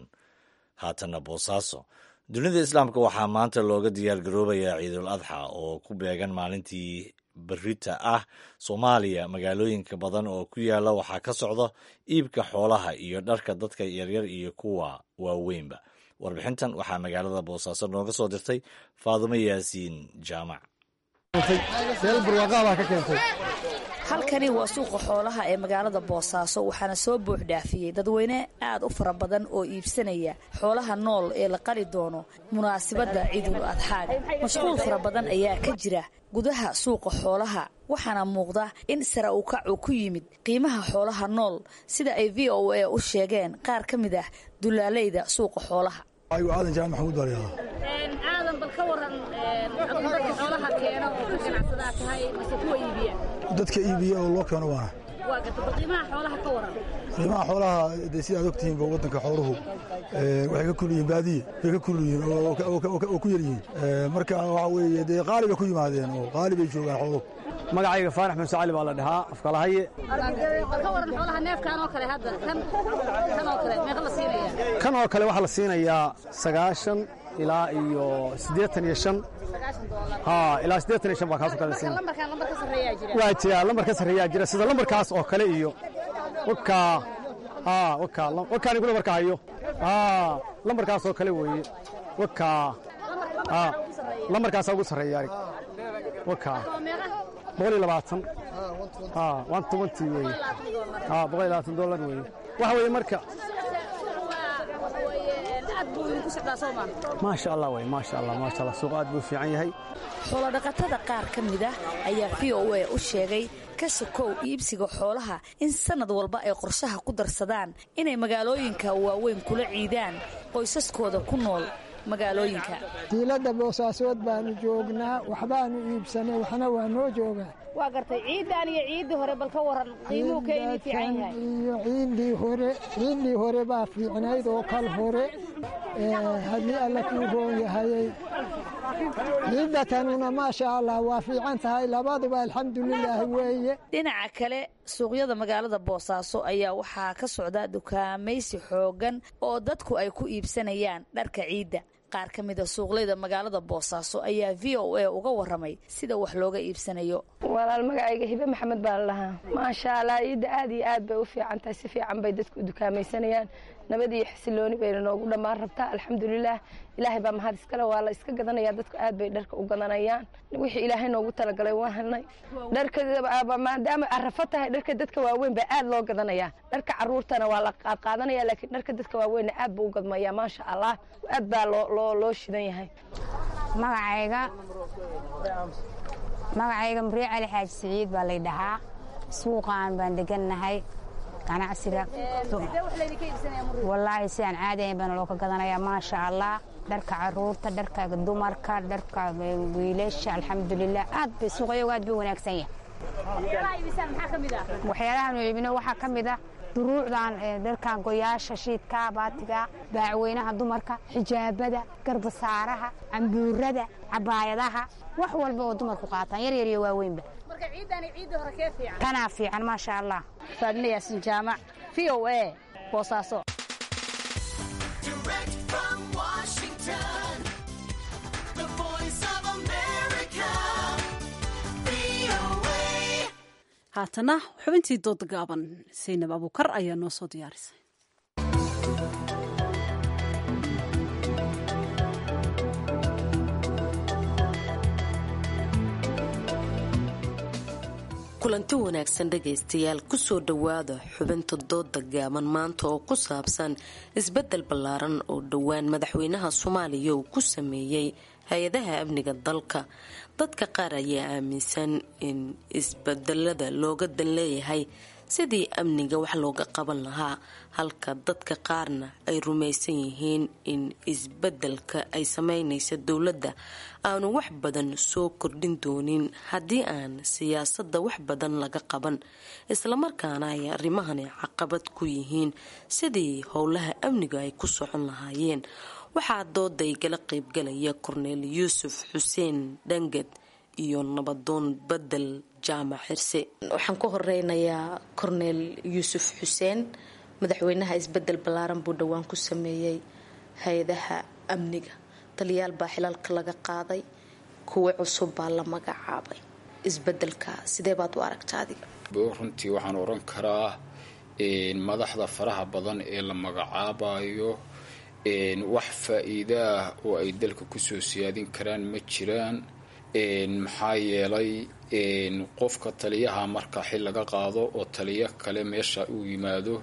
Haatanna Boosaaso. Dunida Islaamka waxaa maanta looga diyaar garoobayaa Ciidul Adxa oo ku beegan maalintii berrita ah. Soomaaliya magaalooyinka badan oo ku yaala waxaa ka socda iibka xoolaha iyo dharka dadka yaryar iyo kuwa waaweynba. Warbixintan waxaa magaalada Boosaaso nooga soo dirtay Faadumo Yaasiin Jaamac. Halkani waa suuqa xoolaha ee magaalada Boosaaso, waxaana soo buux dhaafiyey dadweyne aad u fara badan oo iibsanaya xoolaha nool ee la qali doono munaasabadda Ciidul Adxaaga. Mashquul fara badan ayaa ka jira gudaha suuqa xoolaha, waxaana muuqda in sare u kacu ku yimid qiimaha xoolaha nool, sida ay VOA u sheegeen qaar ka mid ah dulaalayda suuqa xoolaha. Aadan Jaamac Maxamuud baa layidhahdaa. Aadan, bal ka waran, dadka xoolaha keena oo ka ganacsadaa tahay mase kuwa iibiya? Dadka iibiya oo loo keeno waana. Waa garta. Bal qiimaha xoolaha ka waran. Qiimaha xoolaha dee sida aad ogtihiinba, waddanka xooluhu waxay ka kul yihiin baadiye bay ka kul yihiin oo ku yar yihiin. Marka waxa weeye dee qaali bay ku yimaadeen oo qaali bay joogaan xooluhu. Magacayga Faarax Muuse Cali baa la dhahaa, afkalahaye. Bal ka waran xoolaha, neefkan oo kale hadda, kan oo kale meeqa la siinaya? Kan oo kale waxaa la siinayaa 90 ilaa iyo 85. Ha, ilaa 85 baa kaasoo kale la siinaya. Lambarkan lambar ka sarreeyaa jira? Waa jira, lambar ka sarreeyaa jira, sida lambarkaas oo kale iyo wakaa. Ha, wakaa wakaan igula marka hayo. Ha, lambarkaas oo kale weeye wakaa. Ha, lambarkaasaa ugu sarreeya arig wakaa, 120. Ha, 120 weeye. Ha, $120 weeye. Waxa weeye marka maasha Allah wey, maasha Allah, maasha Allah, suuq aad buu fiican yahay. Xoolodhaqatada qaar ka mid ah ayaa VOA u sheegay ka sokow iibsiga xoolaha in sanad walba ay qorshaha ku darsadaan inay magaalooyinka waaweyn kula ciidaan qoysaskooda ku nool magaalooyinka. Diiladda Boosaasood baanu joognaa, waxbaanu iibsanay, waxna waa noo joogaa. Waa gartay. Ciiddaan iyo ciiddii hore bal ka waran, qiimuhu ka idin fiican yahay? Iyo ciiddii hore, ciiddii hore baa fiicnayd oo kal hore, haddii Alla kuu roon yahayey. Ciidda tanuna maasha Allah waa fiican tahay, labaduba alxamdulilaahi weeye. Dhinaca kale, suuqyada magaalada Boosaaso ayaa waxaa ka socda dukaamaysi xooggan oo dadku ay ku iibsanayaan dharka ciidda. Qaar ka mida suuqleyda magaalada Boosaaso ayaa VOA uga waramay sida wax looga iibsanayo. Walaal, magacayga Hibe Maxamed baa la lahaa. Maasha Allah, ciidda aad iyo aad bay u fiican tahay, si fiican bay dadku u dukaamaysanayaan. Nabad iyo xasilooni bayna noogu dhammaan rabtaa, alxamdulilaah, Ilaahay baa mahad iskale. Waa la iska gadanaya, dadku aad bay dharka u gadanayaan. Wixii Ilaahay noogu talagalay waa helnay. Dharka maadaama arafo tahay, dharka dadka waaweyn baa aad loo gadanayaa. Dharka caruurtana waa la qaadqaadanaya, laakiin dharka dadka waaweynna aad buu u gadmayaa. Maasha Allah, aad baa loo shidan yahay. Magacayga Magacayga Muriye Cali Xaaji Siciid baa lay dhahaa. Suuqaan baan degannahay. Ganacsiga wallaahi sidaan caadi ahayn baana loo ka gadanayaa, maasha Allah. Dharka caruurta, dharka dumarka, dharka wiilasha, alxamdulilah, aad bay suuqayagu aad bay wanaagsan yahay. Waxyaalahan iibino waxaa ka mid ah duruucdan, dharkan goyaasha, shiidka, baatiga, baacweynaha dumarka, xijaabada, garbasaaraha, cambuurada, cabaayadaha, wax walba oo dumarku qaataan, yar yar iyo waaweynba. Tanaa fiican, maasha Allah. Faadme Yaasin Jaamac, VOA, Boosaaso. Direct from Washington, the voice of America, VOA. Haatana xubintii dooda gaaban, Saynab Abuukar ayaa noo soo diyaarisay. Kulanti wanaagsan dhegaystayaal, kusoo dhowaada xubinta dooda gaaban maanta oo ku saabsan isbedel ballaaran oo dhowaan madaxweynaha Soomaaliya uu ku sameeyey hay-adaha amniga dalka. Dadka qaar ayaa aaminsan in isbedelada looga dan leeyahay sidii amniga wax looga qaban lahaa, halka dadka qaarna ay rumaysan yihiin in isbedelka ay sameynaysa dowladda aanu wax badan soo kordhin doonin haddii aan siyaasadda wax badan laga qaban, islamarkaana ay arrimahani caqabad ku yihiin sidii howlaha amniga ay ku socon lahaayeen. Waxaa dooday gala qeybgalaya Korneel Yuusuf Xuseen Dhangad iyo nabadoon Bedel Jaamac Xirse. Waxaan ku horeynayaa Korneel Yuusuf Xuseen. Madaxweynaha isbedel ballaaran buu dhowaan ku sameeyey hay-adaha amniga. Taliyaal baa xilalka laga qaaday, kuwo cusub baa la magacaabay. Isbedelka sidee baad u aragta adiga? Runtii waxaan oran karaa madaxda faraha badan ee la magacaabayo wax faa-iidaah oo ay dalka kusoo siyaadin karaan ma jiraan. Maxaa yeelay, qofka taliyaha marka xil laga qaado oo taliyo kale meesha uu yimaado,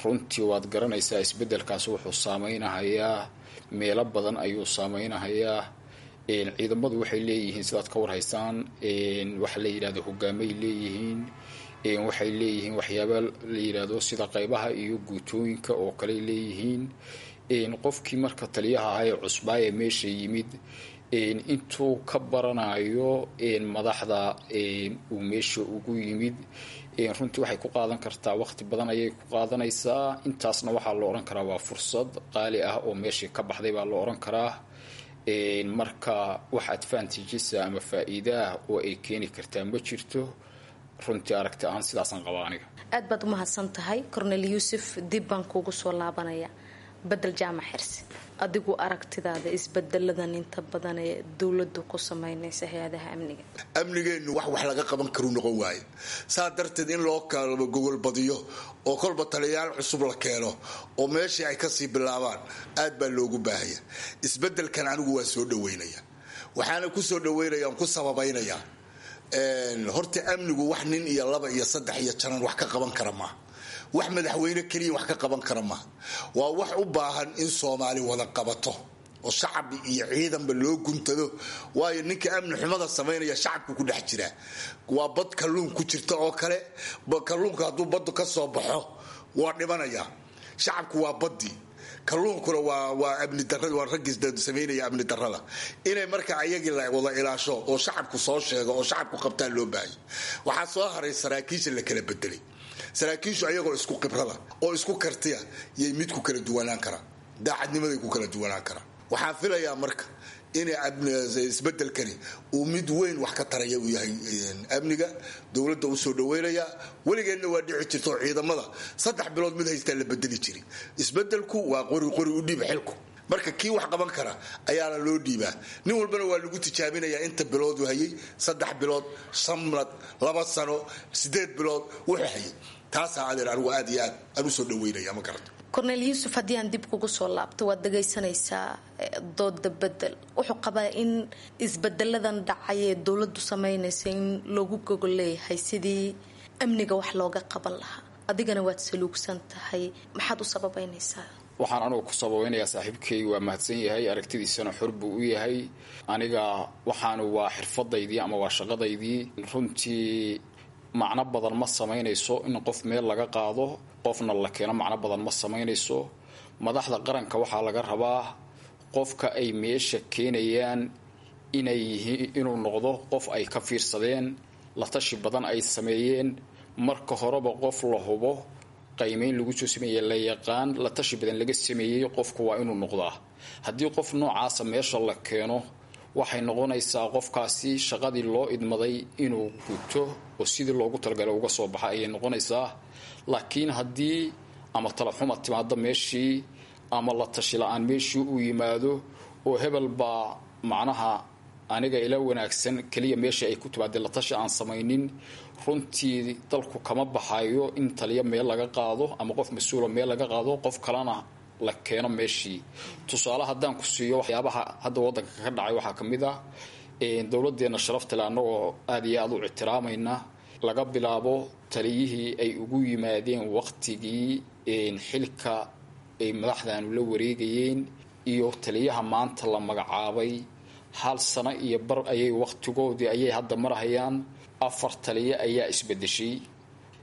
runtii waad garanaysaa, isbedelkaas wuxuu saameynahayaa meelo badan ayuu saameynahayaa. Ciidamadu waxay leeyihiin, sidaad ka warhaysaan, waxa la yidhahdo hogaamay leeyihiin, waxay leeyihiin waxyaaba la yidhaahdo sida qaybaha iyo guutooyinka oo kale leeyihiin. Qofkii marka taliyaha ahaa ee cusbaa ee meesha yimid, intuu ka baranayo madaxda uu meesha ugu yimid, runtii waxay ku qaadan kartaa waqti badan ayay ku qaadanaysaa. Intaasna waxaa la odhan karaa waa fursad qaali ah oo meeshii ka baxday baa la odhan karaa. Marka wax advantages ama faa-iidaah oo ay keeni kartaa ma jirto. Runtii aragti ahaan sidaasaan qabaa aniga. Aad baad umahadsan tahay, Cornel Yuusuf. Dib baan kuugu soo laabanaya. Bedel Jaamac Xirsi, adigu aragtidaada isbedeladan inta badan ee dowladu ku sameynaysa hay-adaha amniga? Amnigeennu wax laga qaban karuu noqon waaye. Saa darteed in loo kala gogol badiyo oo kolba taliyayaal cusub la keeno oo meeshii ay kasii bilaabaan aad baa loogu baahaya. Isbedelkan anigu waa soo dhaweynaya, waxaana ku soo dhaweynaya on ku sababaynayaa, horta amnigu wax nin iyo laba iyo saddex iyo janan wax ka qaban kara maaha, wax madaxweyne keliya wax ka qaban kara maaha. Waa wax u baahan in Soomaali wada qabato oo shacab iyo ciidanba loo guntado. Waayo, ninka amni xumada samaynaya shacabku ku dhex jiraa. Waa bad kalluun ku jirta oo kale. Kalluunka hadduu baddu ka soo baxo waa dhimanaya. Shacabku waa baddii, kalluunkuna waa amni darada, waa raggii samaynaya amni darada. Inay marka ayagii la wada ilaasho oo shacabku soo sheego oo shacabku qabtaa loo baahaya. Waxaa soo haray saraakiisha la kala bedelay. Saraakiishu ayagoo isku khibrada oo isku kartiya yay mid ku kala duwanaan karaan, daacadnimaday ku kala duwanaan karaan. Waxaan filayaa marka in isbedelkani uu mid weyn wax ka taraya uu yahay amniga dowladda u soo dhaweynaya. Weligeedna waa dhici jirta oo ciidamada 3 bilood mid haystaa la bedeli jiray. Isbedelku waa qori qori u dhiib xilku. Marka kii wax qaban kara ayaana loo dhiibaa. Nin walbana waa lagu tijaabinayaa inta biloodu hayay, 3 bilood, sanad, 2 sano, 8 bilood wuxuu hayay. Taasaa adeer anigu aad iyo aad aan usoo dhaweynaya, ma garato. Cornel Yuusuf, haddii aan dib kugu soo laabto, waad dhagaysanaysaa dooda Bedel. Wuxuu qabaa in isbedeladan dhacay ee dowladdu sameynaysa in loogu gogol leeyahay sidii amniga wax looga qaban lahaa. Adigana waad saluugsan tahay, maxaad u sababeynaysaa? Waxaan anugu ku sababeynayaa, saaxiibkay waa mahadsan yahay, aragtidiisana xor buu u yahay. Aniga waxaanu waa xirfadaydii ama waa shaqadaydii. Runtii macno badan ma samaynayso in qof meel laga qaado qofna la keeno, macno badan ma samaynayso. Madaxda qaranka waxaa laga rabaa qofka ay meesha keenayaan inay yihiin inuu noqdo qof ay ka fiirsadeen, la tashi badan ay sameeyeen marka horeba, qof la hubo, qiimeyn lagu soo sameeyey, la yaqaan, la tashi badan laga sameeyey qofku waa inuu noqdaa. Haddii qof noocaasa meesha la keeno, waxay noqonaysaa qofkaasi shaqadii loo idmaday inuu guto oo sidii loogu talagalay uga soo baxa ayay noqonaysaa. Laakiin haddii ama talaxuma timaado meeshii ama la tashi la-aan meeshii uu yimaado oo hebel baa macnaha aniga ila wanaagsan keliya meesha ay ku timaadee, la tashi aan samaynin, runtii dalku kama baxayo in taliya meel laga qaado ama qof mas-uula meel laga qaado, qof kalena la keeno meeshii. Tusaale haddaan ku siiyo, waxyaabaha hadda waddanka ka dhacay waxaa ka mid ah dowladeenna sharaftale, annagoo aada iyo aada u ictiraamayna, laga bilaabo taliyihii ay ugu yimaadeen waqtigii xilka ay madaxdaanu la wareegayeen iyo taliyaha maanta la magacaabay, hal sano iyo bar ayay waqtigoodii ayay hadda marhayaan. 4 taliye ayaa isbedeshay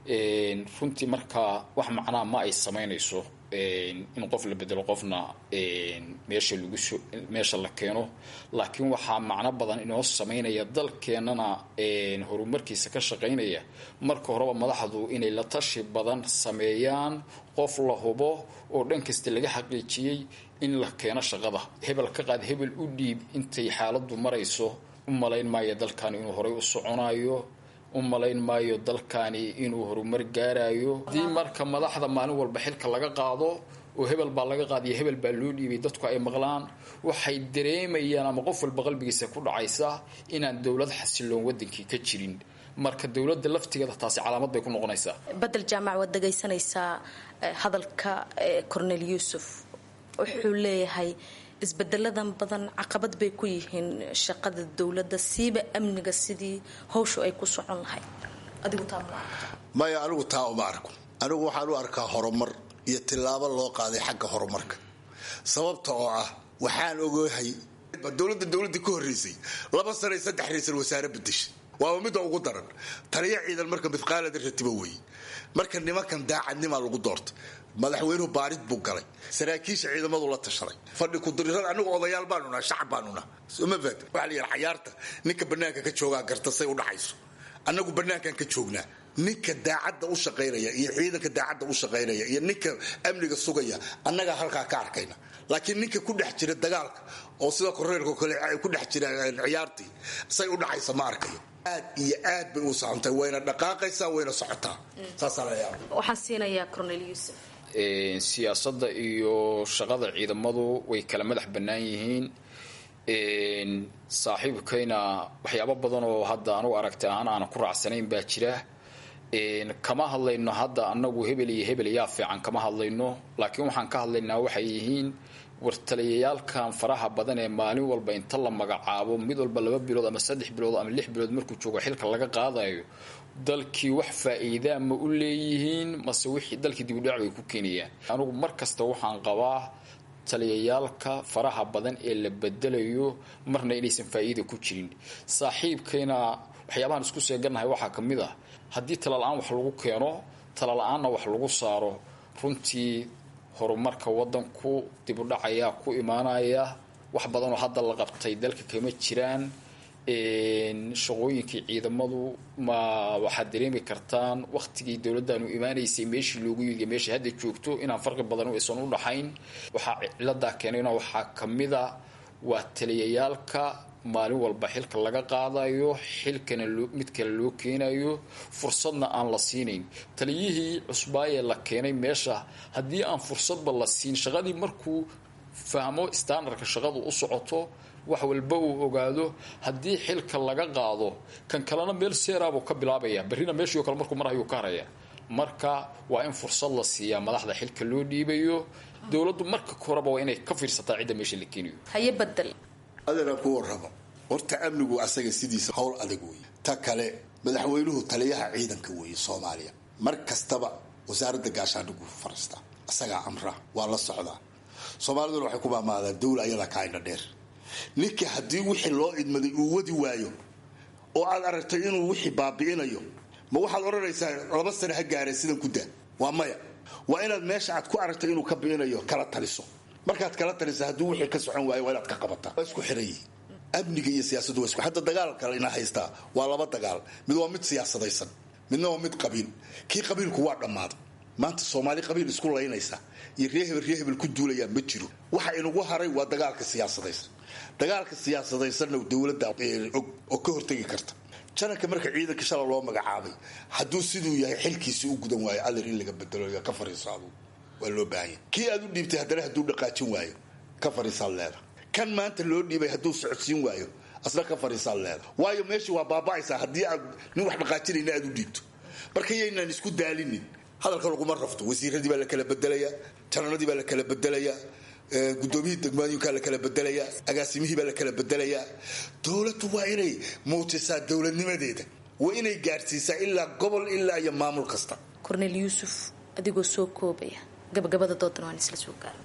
runtii. Markaa wax macnaa ma ay samaynayso in qof la bedelo, qofna meesha laguso meesha la keeno. Laakiin waxaa macno badan inoo samaynaya, dalkeennana horumarkiisa ka shaqaynaya, marka horeba madaxdu inay la tashi badan sameeyaan, qof la hubo oo dhan kasta laga xaqiijiyey in la keeno shaqada. Hebel ka qaad, hebel u dhiib, intay xaaladdu marayso u malayn maayo dalkani inuu horay u soconayo, u malayn maayo dalkani inuu horumar gaarayo. Haddii marka madaxda maalin walba xilka laga qaado oo hebel baa laga qaadiyo, hebel baa loo dhiibay, dadku ay maqlaan, waxay dareemayaan ama qof walba qalbigiisa ku dhacaysa inaan dowlad xasiloon wadankii ka jirin. Marka dowladda laftigeeda taasi calaamad bay ku noqonaysaa. Badel Jaamac, waad dhegaysanaysaa hadalka Cornel Yuusuf. Wuxuu leeyahay isbedeladan badan caqabad bay ku yihiin shaqada dowladda, siiba amniga, sidii hawshu ay ku socon lahayd. Adigu taa ma Maya, anigu taa uma arko. Anigu waxaan u arkaa horumar iyo tillaabo loo qaaday xagga horumarka, sababta oo ah waxaan ogahay dowladda dowladdii ka horreysay 2 sano iyo 3 ra'iisul wasaare bedeshay. Waaba midda ugu daran taliya ciidan marka midqaalada ratibo weeye. Marka nimankan daacadnimaa lagu doortay. Madaxweynuhu baarid buu galay, saraakiisha ciidamadu la tashaday, fadhi kudirirada. Anigu odayaal baanu naha, shacab baanu naha, soma fahat? Waxaa la yidhaha cayaarta ninka banaanka ka joogaa garta say u dhacayso. Annagu banaankan ka joognaa. Ninka daacadda u shaqaynaya iyo ciidanka daacadda u shaqaynaya iyo ninka amniga sugaya annagaa halkaa ka arkayna. Laakiin ninka ku dhex jira dagaalka oo sida koreerka kale ku dhex jira ciyaartii say u dhacaysa ma arkayo. Aad iyo aad bay u socontay, wayna dhaqaaqaysaa, wayna socotaa, saasaa la yaaba. Waxaan siinayaa Cornel Yuusuf. Siyaasadda iyo shaqada ciidamadu way kala madax bannaan yihiin. Saaxiibkayna waxyaabo badan oo hadda anugu aragti ahaan aanan ku raacsanayn baa jira. Kama hadlayno hadda anagu hebel iyo hebel yaa fiican, kama hadlayno. Laakiin waxaan ka hadlaynaa waxay yihiin wartaliyayaalkan faraha badan ee maalin walba inta la magacaabo, mid walba 2 bilood ama 3 bilood ama 6 bilood markuu joogo xilka laga qaadayo. Dalkii wax faa'iidaa ma u leeyihiin mase wixii dalkii dibudhac bay ku keenayaan? Anigu mar kasta waxaan qabaa taliyayaalka faraha badan ee la bedelayo marna inaysan faa'iida ku jirin. Saaxiibkayna waxyaabahan isku seegannahay waxaa ka mid ah haddii tala-la-aan wax lagu keeno, tala-la-aanna wax lagu saaro, runtii horumarka wadanku dibudhac ayaa ku imaanaya. Wax badanoo hadda la qabtay dalka kama jiraan. Shaqooyinkii ciidamadu ma waxaad dareemi kartaan waqtigii dowladdaanu imaanaysay meeshii loogu yidi meeshii hadda joogto inaan farqi badan aysan u dhaxayn. Waxaa ciladaa keenayna waxaa kamid a waa taliyayaalka maalin walba xilka laga qaadayo, xilkana mid kale loo keenayo, fursadna aan la siinayn taliyihii cusbaayee la keenay meesha. Haddii aan fursadba la siin shaqadii, markuu fahmo standardka shaqadu u socoto, wax walba uu ogaado, haddii xilka laga qaado, kan kalena meel seeraabuu ka bilaabaya, berrina meeshii o kale markuu marayuu ka haraya. Marka waa in fursad la siiyaa madaxda xilka loo dhiibayo. Dowladdu marka koreba waa inay ka fiirsataa cidda meesha la keenayo. Haye, Badel. Adeeraan ku warramo. Horta amnigu asaga sidiisa howl adag weeye. Ta kale, madaxweynuhu taliyaha ciidanka weeye Soomaaliya. Mar kastaba wasaaradda gaashaandhigu fariistaa, asagaa amra, waa la socdaa. Soomaaliduna waxay ku maamaadaan dawla ayadaa kaa indha dheer. Ninka haddii wixii loo idmaday uu wadi waayo oo aad aragtay inuu wixii baabi'inayo, ma waxaad odhanaysaa 2 sane ha gaareen sidan ku daa? Waa maya. Waa inaad meesha aad ku aragtay inuu ka bi'inayo kala taliso. Markaad kala talisa, hadduu wixii ka socon waayo, waa inaad ka qabataa. Waa isku xiran yihiin amniga iyo siyaasaddu, waa isku. Hadda dagaalka ina haystaa waa laba dagaal: mid waa mid siyaasadaysan, midna waa mid qabiil. Kii qabiilku waa dhammaaday. Maanta Soomaali qabiil isku laynaysa iyo ree hebel ree hebel ku duulayaa ma jiro. Waxa inagu haray waa dagaalka siyaasadaysan. Dagaalka siyaasadaysanna dowladda og oo ka hortegi karta. Jananka marka ciidanka shala loo magacaabay, hadduu siduu yahay xilkiisi u gudan waayo, adeer, in laga bedelo, ka fariiso aduu, waa loo baahan yahay. Kii aad u dhiibtay haddana hadduu dhaqaajin waayo, ka fariisaad leeda. Kan maanta loo dhiibay hadduu socodsiin waayo, asna ka fariisaad leeda. Waayo, meesha waa baaba'aysaa haddii aad nin wax dhaqaajinayna aad u dhiibto. Marka yaynaan isku daalinin, hadalka laguma rafto. Wasiiradii baa la kala bedelayaa, jananadii baa la kala bedelayaa, gudoomiyihii degmooyinkaa la kala bedelayaa, agaasimihii baa la kala bedelayaa. Dowladdu waa inay muujisaa dowladnimadeeda, waa inay gaadhsiisaa ilaa gobol ilaa iyo maamul kasta. Kornel Yuusuf, adigoo soo koobaya, gabagabada doodan waan isla soo gaara.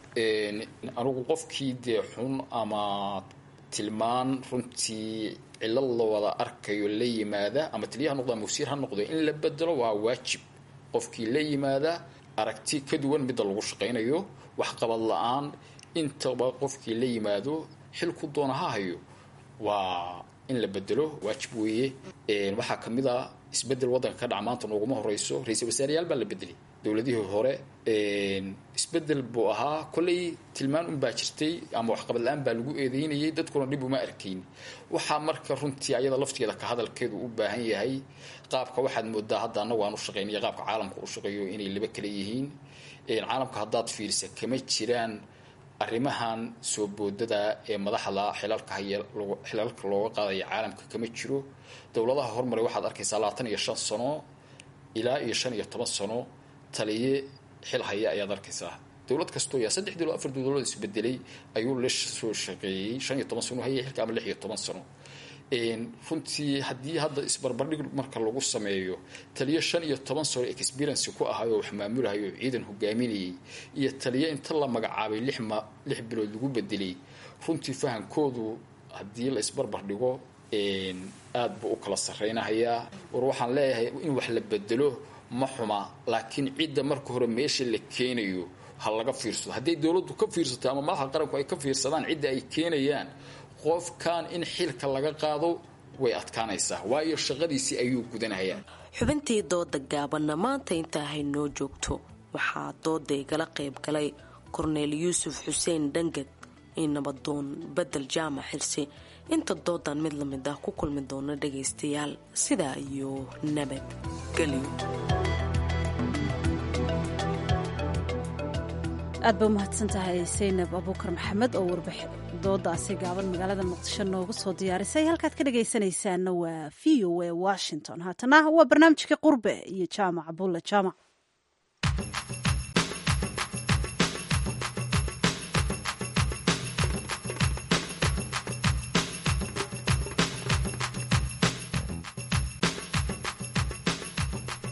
Anigu qofkii dee xun ama tilmaan runtii cilad la wada arkayo la yimaada, ama taliya ha noqdo ama wasiir ha noqdo, in la bedelo waa waajib. Qofkii la yimaada aragti ka duwan midda lagu shaqaynayo, waxqabad la-aan intaba qofkii la yimaado, xilku doona ha hayo, waa in la bedelo, waajib weeye. Waxaa ka mid a isbedel waddanka ka dhaca maanta nooguma horeyso. Ra-iisul wasaareyaal baa la bedelay dowladihii hore, isbedel buu ahaa. Kolley tilmaan unbaa jirtay ama waxqabad la-aan baa lagu eedeynayay, dadkuna dhib uma arkayn. Waxaa marka runtii ayada lafteeda ka hadalkeedu u baahan yahay qaabka waxaad moodaa hadda annagu aan u shaqeynaya, qaabka caalamka u shaqeeyo inay laba kala yihiin. Caalamka haddaad fiirisa, kama jiraan arrimahan soo boodada ee madaxda xilalka haya xilalka looga qaadaya, caalamka kama jiro. Dowladaha hormaray waxaad arkaysaa 25 sano ilaa iyo 15 sano taliye xil haya ayaad arkaysaa. Dowlad kastoo yaa saddex dowlad, afar dowladood isbedelay ayuu la soo shaqeeyey, 15 sano hayay xilka ama 16 sano. Runtii haddii hadda isbarbardhig marka lagu sameeyo taliyo 15 sano experience ku ahayo, wax maamulahayo, ciidan hogaaminayay, iyo taliyo inta la magacaabay 6 bilood lagu bedelay, runtii fahankoodu haddii la isbarbar dhigo aad buu u kala sarreynahayaa. War waxaan leeyahay, in wax la bedelo ma xuma, laakiin cidda marka hore meesha la keenayo ha laga fiirsado. Hadday dowladdu ka fiirsato ama madaxa qaranku ay ka fiirsadaan cidda ay keenayaan, qofkan in xilka laga qaado way adkaanaysaa, waayo shaqadiisii ayuu gudanayaa. Xubintii dooda gaabanna maanta intaa haynoo joogto. Waxaa dooda igala qayb galay Korneel Yuusuf Xuseen Dhangad iyo nabadoon Bedel Jaamac Xirsi. Inta doodan mid lamid ah ku kulmi doona, dhagaystayaal, sidaa iyo nabadgelyo. Aad ba umahadsan tahay Saynab Abuukar Maxamed oo warbax doodaasi gaaban magaalada Muqdisho noogu soo diyaarisay. Halkaad ka dhagaysanaysaana waa VOA Washington. Haatana waa barnaamijka Qurbe iyo Jaamac Bulle Jaamac.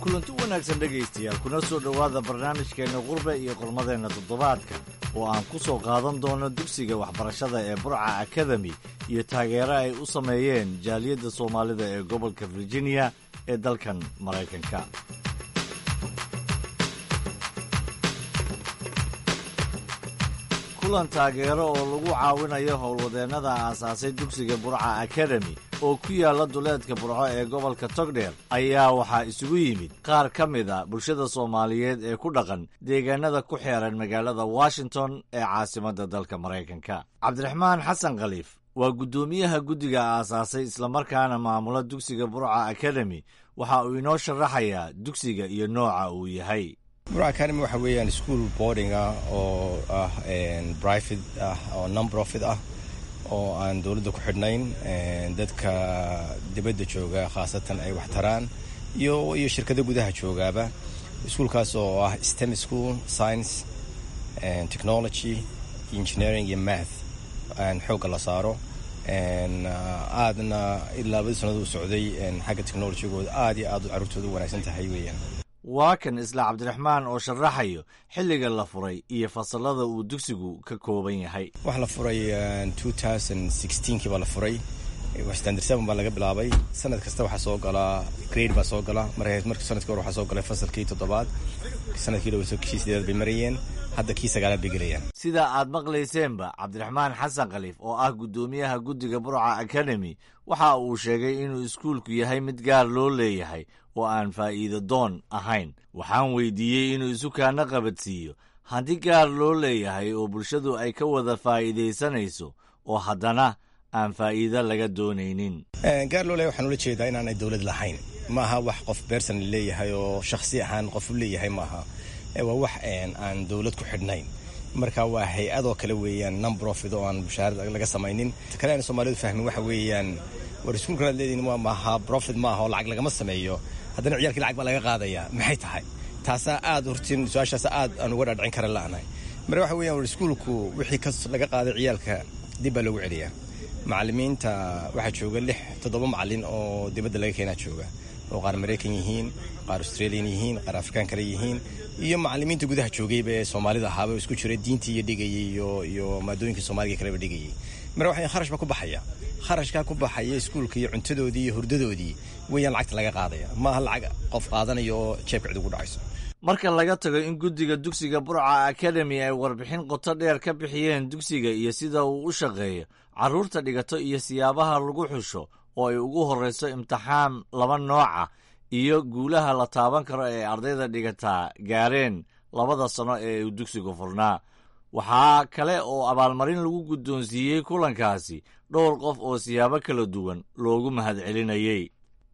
Kulanti wanaagsan, dhegaystayaal, kuna soo dhowaada barnaamijkeenna Qurbe iyo qormadeenna toddobaadka oo aan ku soo qaadan doono dugsiga waxbarashada ee Burca Academy iyo taageero ay u sameeyeen jaaliyadda Soomaalida ee gobolka Virginia ee dalkan Maraykanka. Kulan taageero oo lagu caawinayo howlwadeennada aasaasay dugsiga Burca Academy oo ku yaalla duleedka Burco ee gobolka Togdheer ayaa waxaa isugu yimid qaar ka mid a bulshada Soomaaliyeed ee ku dhaqan deegaanada ku xeeran magaalada Washington ee caasimadda dalka Maraykanka. Cabdiraxmaan Xasan Khaliif waa guddoomiyaha guddiga aasaasay islamarkaana maamula dugsiga Burca Academy. Waxa uu inoo sharaxayaa dugsiga iyo nooca uu yahay. Burca Academy waxa weeyaan school boarding ah oo ah private ah oo non profit ah oo aan dowladda ku xidhnayn, dadka dibadda jooga khaasatan ay wax taraan iyo shirkado gudaha joogaaba. Iskuulkaas oo ah STEM school, science, technology, engineering iyo math xoogga la saaro, aadna ilaa labadii sanad uu socday xagga technologygooda aad iyo aad carruurtooda u wanaagsan tahay weeyaan. Waa kan isla Cabdiraxmaan oo sharaxayo xilliga la furay iyo fasallada uu dugsigu ka kooban yahay. Waxaa la furay 2016kii baa la furay. Standard 7 baa laga bilaabay. Sanad kasta waxaa soo gala grade baa soo gala. Marka sanadkii hore waxaa soo galay fasalkii toddobaad, sanadkii dhow kii sideedaad bay marayeen, hadda kii sagaalaad bay gelayaan. Sida aad maqlayseenba, Cabdiraxmaan Xasan Khaliif oo ah guddoomiyaha guddiga Burca Academy waxa uu sheegay inuu iskuulku yahay mid gaar loo leeyahay oo aan faa'iido doon ahayn. Waxaan weydiiyey inuu isukaana qabadsiiyo hanti gaar loo leeyahay oo bulshadu ay ka wada faa'iidaysanayso oo haddana aan faa'iido laga doonaynin. Gaar loo leeyahay waxaan ula jeedaa inaanay dowlad lahayn. Maaha wax qof beersan leeyahay oo shakhsi ahaan qof u leeyahay maaha. Waa wax aan dowlad ku xidhnayn. Marka waa hay-adoo kale weeyaan, non profit oo aan mushaharad laga samaynin. Kale aan Soomaalidu fahmin waxa weeyaan, war iskuulkan aad leedihin waa maaha profit, maaha oo lacag lagama sameeyo, haddana ciyaalkii lacag baa laga qaadayaa, maxay tahay taasaa? Aad hortiin su-aashaas aad aan uga dhaadhicin kara la'nahay. Marka waxa weeyaan, war iskuulku wixii ka laga qaaday ciyaalka dib baa loogu celiyaa. Macallimiinta waxaa jooga lix toddoba macallin oo dibadda laga keenaa jooga, oo qaar Maraykan yihiin, qaar Australian yihiin, qaar Afrikaan kale yihiin, iyo macallimiinta gudaha joogayba ee Soomaalida ahaaba isku jiray, diintii iyo dhigayay iyo maadooyinka Soomaaliga kaleba dhigayay. Marka waxa kharash baa ku baxaya, kharashkaa ku baxaya iskuulka iyo cuntadoodii iyo hurdadoodii weeyaan lacagta laga qaadaya. Maaha lacag qof qaadanayo oo jeebka cid ugu dhacayso. Marka laga tago in guddiga dugsiga Burca Academy ay warbixin qoto dheer ka bixiyeen dugsiga iyo sida uu u shaqeeyo, carruurta dhigato iyo siyaabaha lagu xusho oo ay ugu horrayso imtixaan laba nooca, iyo guulaha la taaban karo ee ardayda dhigataa gaareen 2da sano ee uu dugsigu furnaa, waxaa kale oo abaalmarin lagu guddoonsiiyey kulankaasi dhowr qof oo siyaabo kala duwan loogu mahadcelinayey.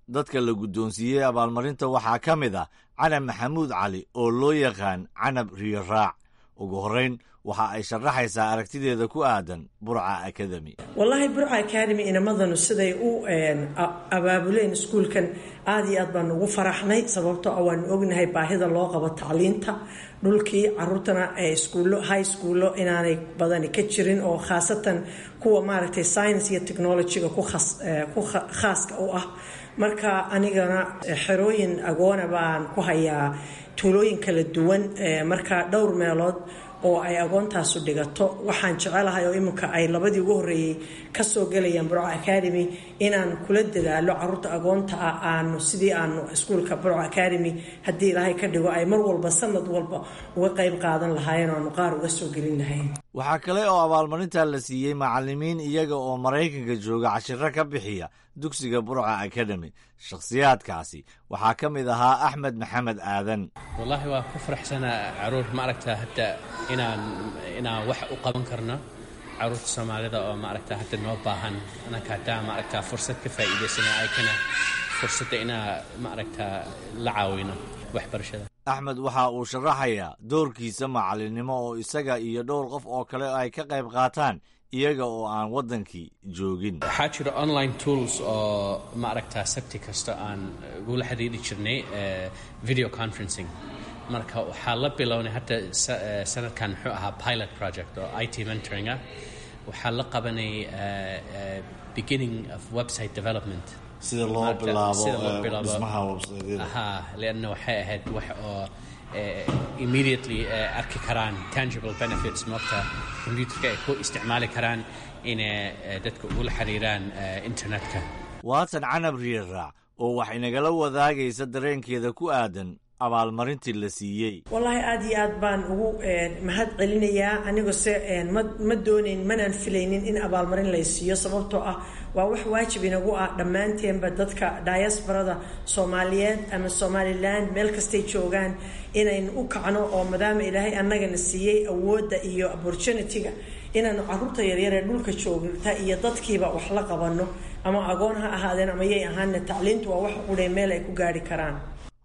Dadka la guddoonsiiyey abaalmarinta waxaa ka mid ah Canab Maxamuud Cali oo loo yaqaan Canab Riyo Raac. Ugu horrayn waxa ay sharaxaysaa aragtideeda ku aadan Burca Academy. Wallaahi, Burca Academy inamadanu siday u abaabuleen iskuulkan aad iyo aad baanu ugu faraxnay, sababtoo ah waanu ognahay baahida loo qabo tacliinta dhulkii, caruurtana iskuullo high schoollo inaanay badani ka jirin, oo khaasatan kuwa maaragtay science iyo technologyga ku khaaska u ah. Marka anigana xerooyin agoona baan ku hayaa tuulooyin kala duwan. Marka dhowr meelood oo ay agoontaasu dhigato waxaan jecelahay, oo iminka ay labadii ugu horreeyey kasoo gelayaan Burco Academy, inaan kula dadaalo caruurta agoonta ah aanu sidii aanu iskuulka Burco Academy, haddii Ilaahay ka dhigo, ay mar walba sanad walba uga qayb qaadan lahaayeen oo aanu qaar uga soo gelin lahayn. Waxaa kale oo abaalmarinta la siiyey macallimiin iyaga oo Maraykanka jooga cashiro ka bixiya dugsiga Burca Academy. Shakhsiyaadkaasi waxaa ka mid ahaa Axmed Maxamed Aadan. Wallaahi waa ku faraxsanaa caruur maaragta hadda inaan wax u qaban karno caruurta Soomaalida oo maaragta hadda noo baahan. Anaka haddaa maaragta fursad ka faa'iidaysana aykana fursadda inaa maaragta la caawino waxbarashada. Axmed waxa uu sharaxayaa doorkiisa macallinnimo oo isaga iyo dhowr qof oo kale ay ka qayb qaataan iyaga oo aan waddankii joogin. Waxaa jira online tools oo maaragta sabti kasta aan ugula xiriiri jirnay video conferencing. Marka waxaa la bilownay hadda sanadkan, muxuu ahaa pilot project oo IT mentoring ah. Waxaa la qabanay beginning of website development. Sida loo bilaabo dhismaha website. Ha, lianna waxay ahayd wax oo immediately arki karaan tangible benefits, moogta computerka ay ku isticmaali karaan inay dadka ugula xiriiraan internetka. Waatan Canab Riiraac oo wax inagala wadaagaysa dareenkeeda ku aadan abaalmarintii la siiyey. Wallaahi aad iyo aad baan ugu mahad celinayaa. Aniguse ma doonayn, manaan filaynin in abaalmarin lay siiyo, sababtoo ah waa wax waajib inagu ah dhammaanteenba dadka diasporada Soomaaliyeed ama Somaliland meel kastay joogaan inaynu u kacno, oo maadaama Ilaahay annagana siiyey awoodda iyo opportunity-ga, inaanu caruurta yaryar ee dhulka joogta iyo dadkiiba wax la qabano, ama agoon ha ahaadeen ama yay ahaana. Tacliintu waa wax qudhay meel ay ku gaari karaan.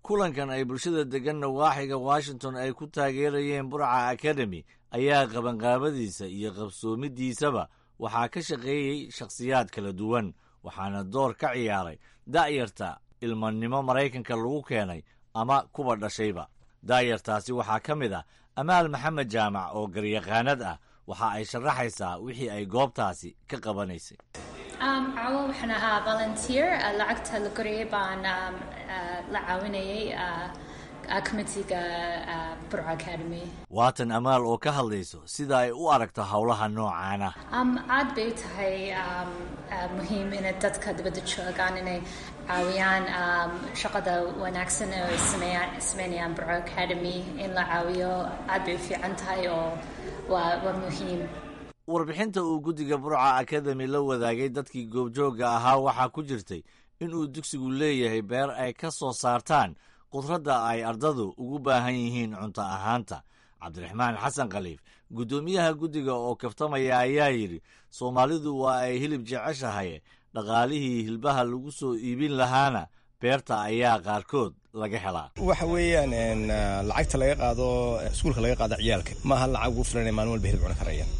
Kulankan ay bulshada degan nawaaxiga Washington ay ku taageerayeen Burca Academy ayaa qabanqaabadiisa iyo qabsoomidiisaba waxaa ka shaqeeyey shakhsiyaad kala duwan, waxaana door ka ciyaaray da'yarta ilmanimo Maraykanka lagu keenay ama kuwa dhashayba. Da'yartaasi waxaa ka mid ah Amaal Maxamed Jaamac oo garyaqaanad ah. Waxa ay sharaxaysaa wixii ay goobtaasi ka qabanaysay. Caawa waxaan ahaa volunteer. Lacagta la gorayay baan la caawinayay. committeega Burco Academy. Waatan Amaal oo ka hadlayso sida ay u aragto howlaha noocaana. Aad bay u tahay muhiim inay dadka dibadda joogaan inay caawiyaan shaqada wanaagsan ee ay sameynayaan Burco Academy. In la caawiyo aad bay u fiican tahay oo waa muhiim. Warbixinta uu guddiga Burca Academy la wadaagay dadkii goobjoogga ahaa waxaa ku jirtay inuu dugsigu leeyahay beer ay ka soo saartaan khudradda ay ardadu ugu baahan yihiin cunto ahaanta. Cabdiraxmaan Xasan Khaliif, guddoomiyaha guddiga oo kaftamaya, ayaa yidhi Soomaalidu waa ay hilib jeceshahay, dhaqaalihii hilbaha lagu soo iibin lahaana beerta ayaa qaarkood laga helaa. Waxa weeyaan lacagta laga qaado iskuulka, laga qaado ciyaalka, maaha lacag ugu filan ee maalin walba hilib cuni karayaan.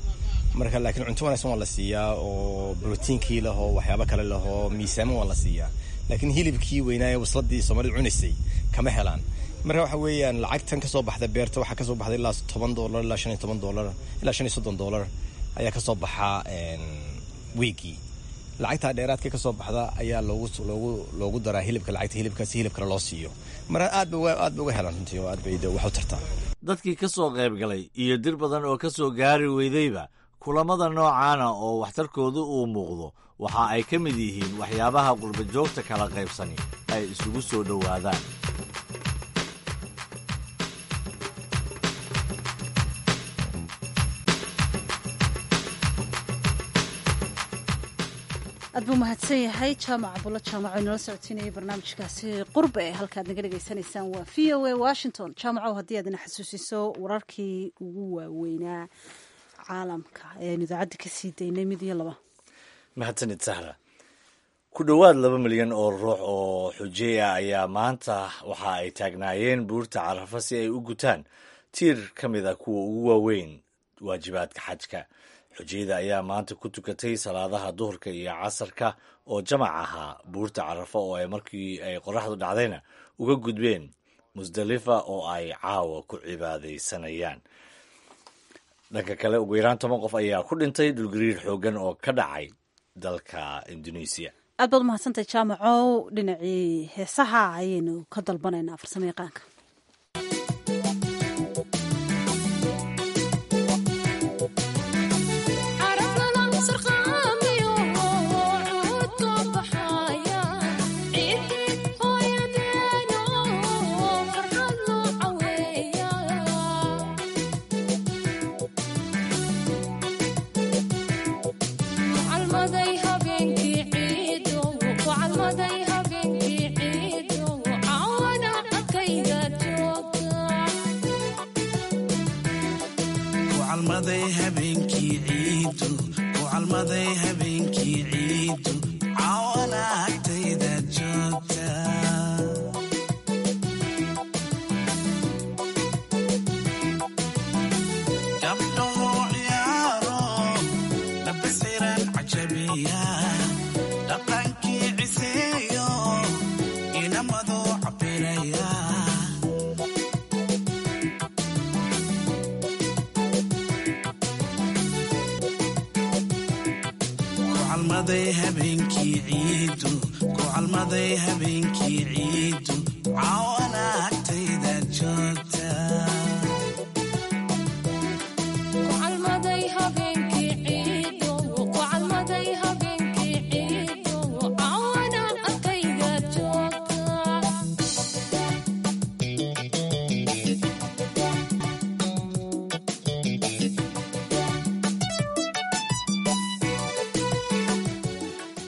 Marka laakiin cunto wanaagsan waa la siiyaa oo brotiinkii lahoo, waxyaabo kale lahoo, miisaamo waa la siiyaa, laakiin hilibkii weynaaye wasladii Soomaalidu cunaysay kama helaan. Marka waxa weeyaan lacagtan kasoo baxda beerta, waxaa kasoo baxda ilaa $10 ilaa $15 ilaa $35 ayaa kasoo baxaa wiigii. Lacagtaa dheeraadka kasoo baxda ayaa loogu daraa hilibka, lacagta hilibka, si hilib kale loo siiyo. Marka aad ba uga helaan runtii oo aad bay wax u tartaa. Dadkii ka soo qayb galay iyo dir badan oo ka soo gaari weydayba kulamada noocaana oo waxtarkoodu uu muuqdo waxa ay ka mid yihiin waxyaabaha qurba joogta kala qaybsani ay isugu soo dhowaadaan. Aad buu mahadsan yahay Jaamac Bulo Jaamac oo inala socotiinayay barnaamijkaasi qurbe. Ee halkaad naga dhegaysanaysaan waa VOA Washington. Jaamacow, haddii aad ina xasuusiso wararkii ugu waaweynaa caalamka ee aynu idaacadda ka sii daynay, mid iyo laba. Mahadsanid, Sahra. Ku dhowaad 2 milyan oo ruux oo xujey ah ayaa maanta waxa ay taagnaayeen buurta Carafa si ay u gutaan tiir ka mid a kuwa ugu waaweyn waajibaadka xajka. Xujeyda ayaa maanta ku tukatay salaadaha duhurka iyo casarka oo jamac ahaa buurta Carafa, oo ay markii ay qoraxdu dhacdayna uga gudbeen Musdalifa oo ay caawa ku cibaadaysanayaan. Dhanka kale, ugu yaraan 10 qof ayaa ku dhintay dhulgariir xooggan oo ka dhacay dalka Indonesia. Aad baad umahadsantahay, Jaamacow. Dhinacii heesaha ayaynu ka dalbanaynaa farsamo yaqaanka.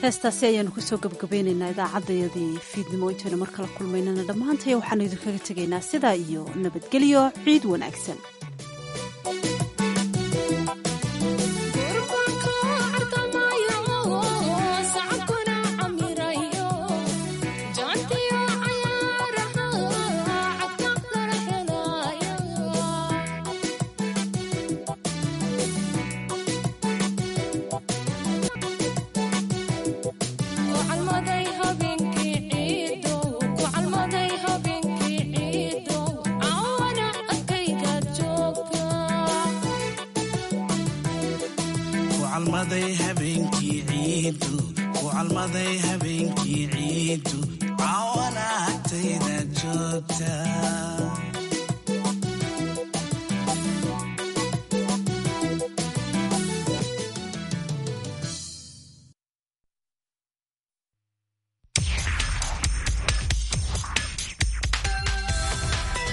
Heestaasi ayaanu kusoo gabgabaynaynaa idaacaddayadii fiidnimo. Intaynu mar kala kulmaynana, dhammaantaya waxaanu idinkaga tegaynaa sidaa iyo nabadgelyo, ciid wanaagsan. Habeenkii ciidu cawana agtayda joogta.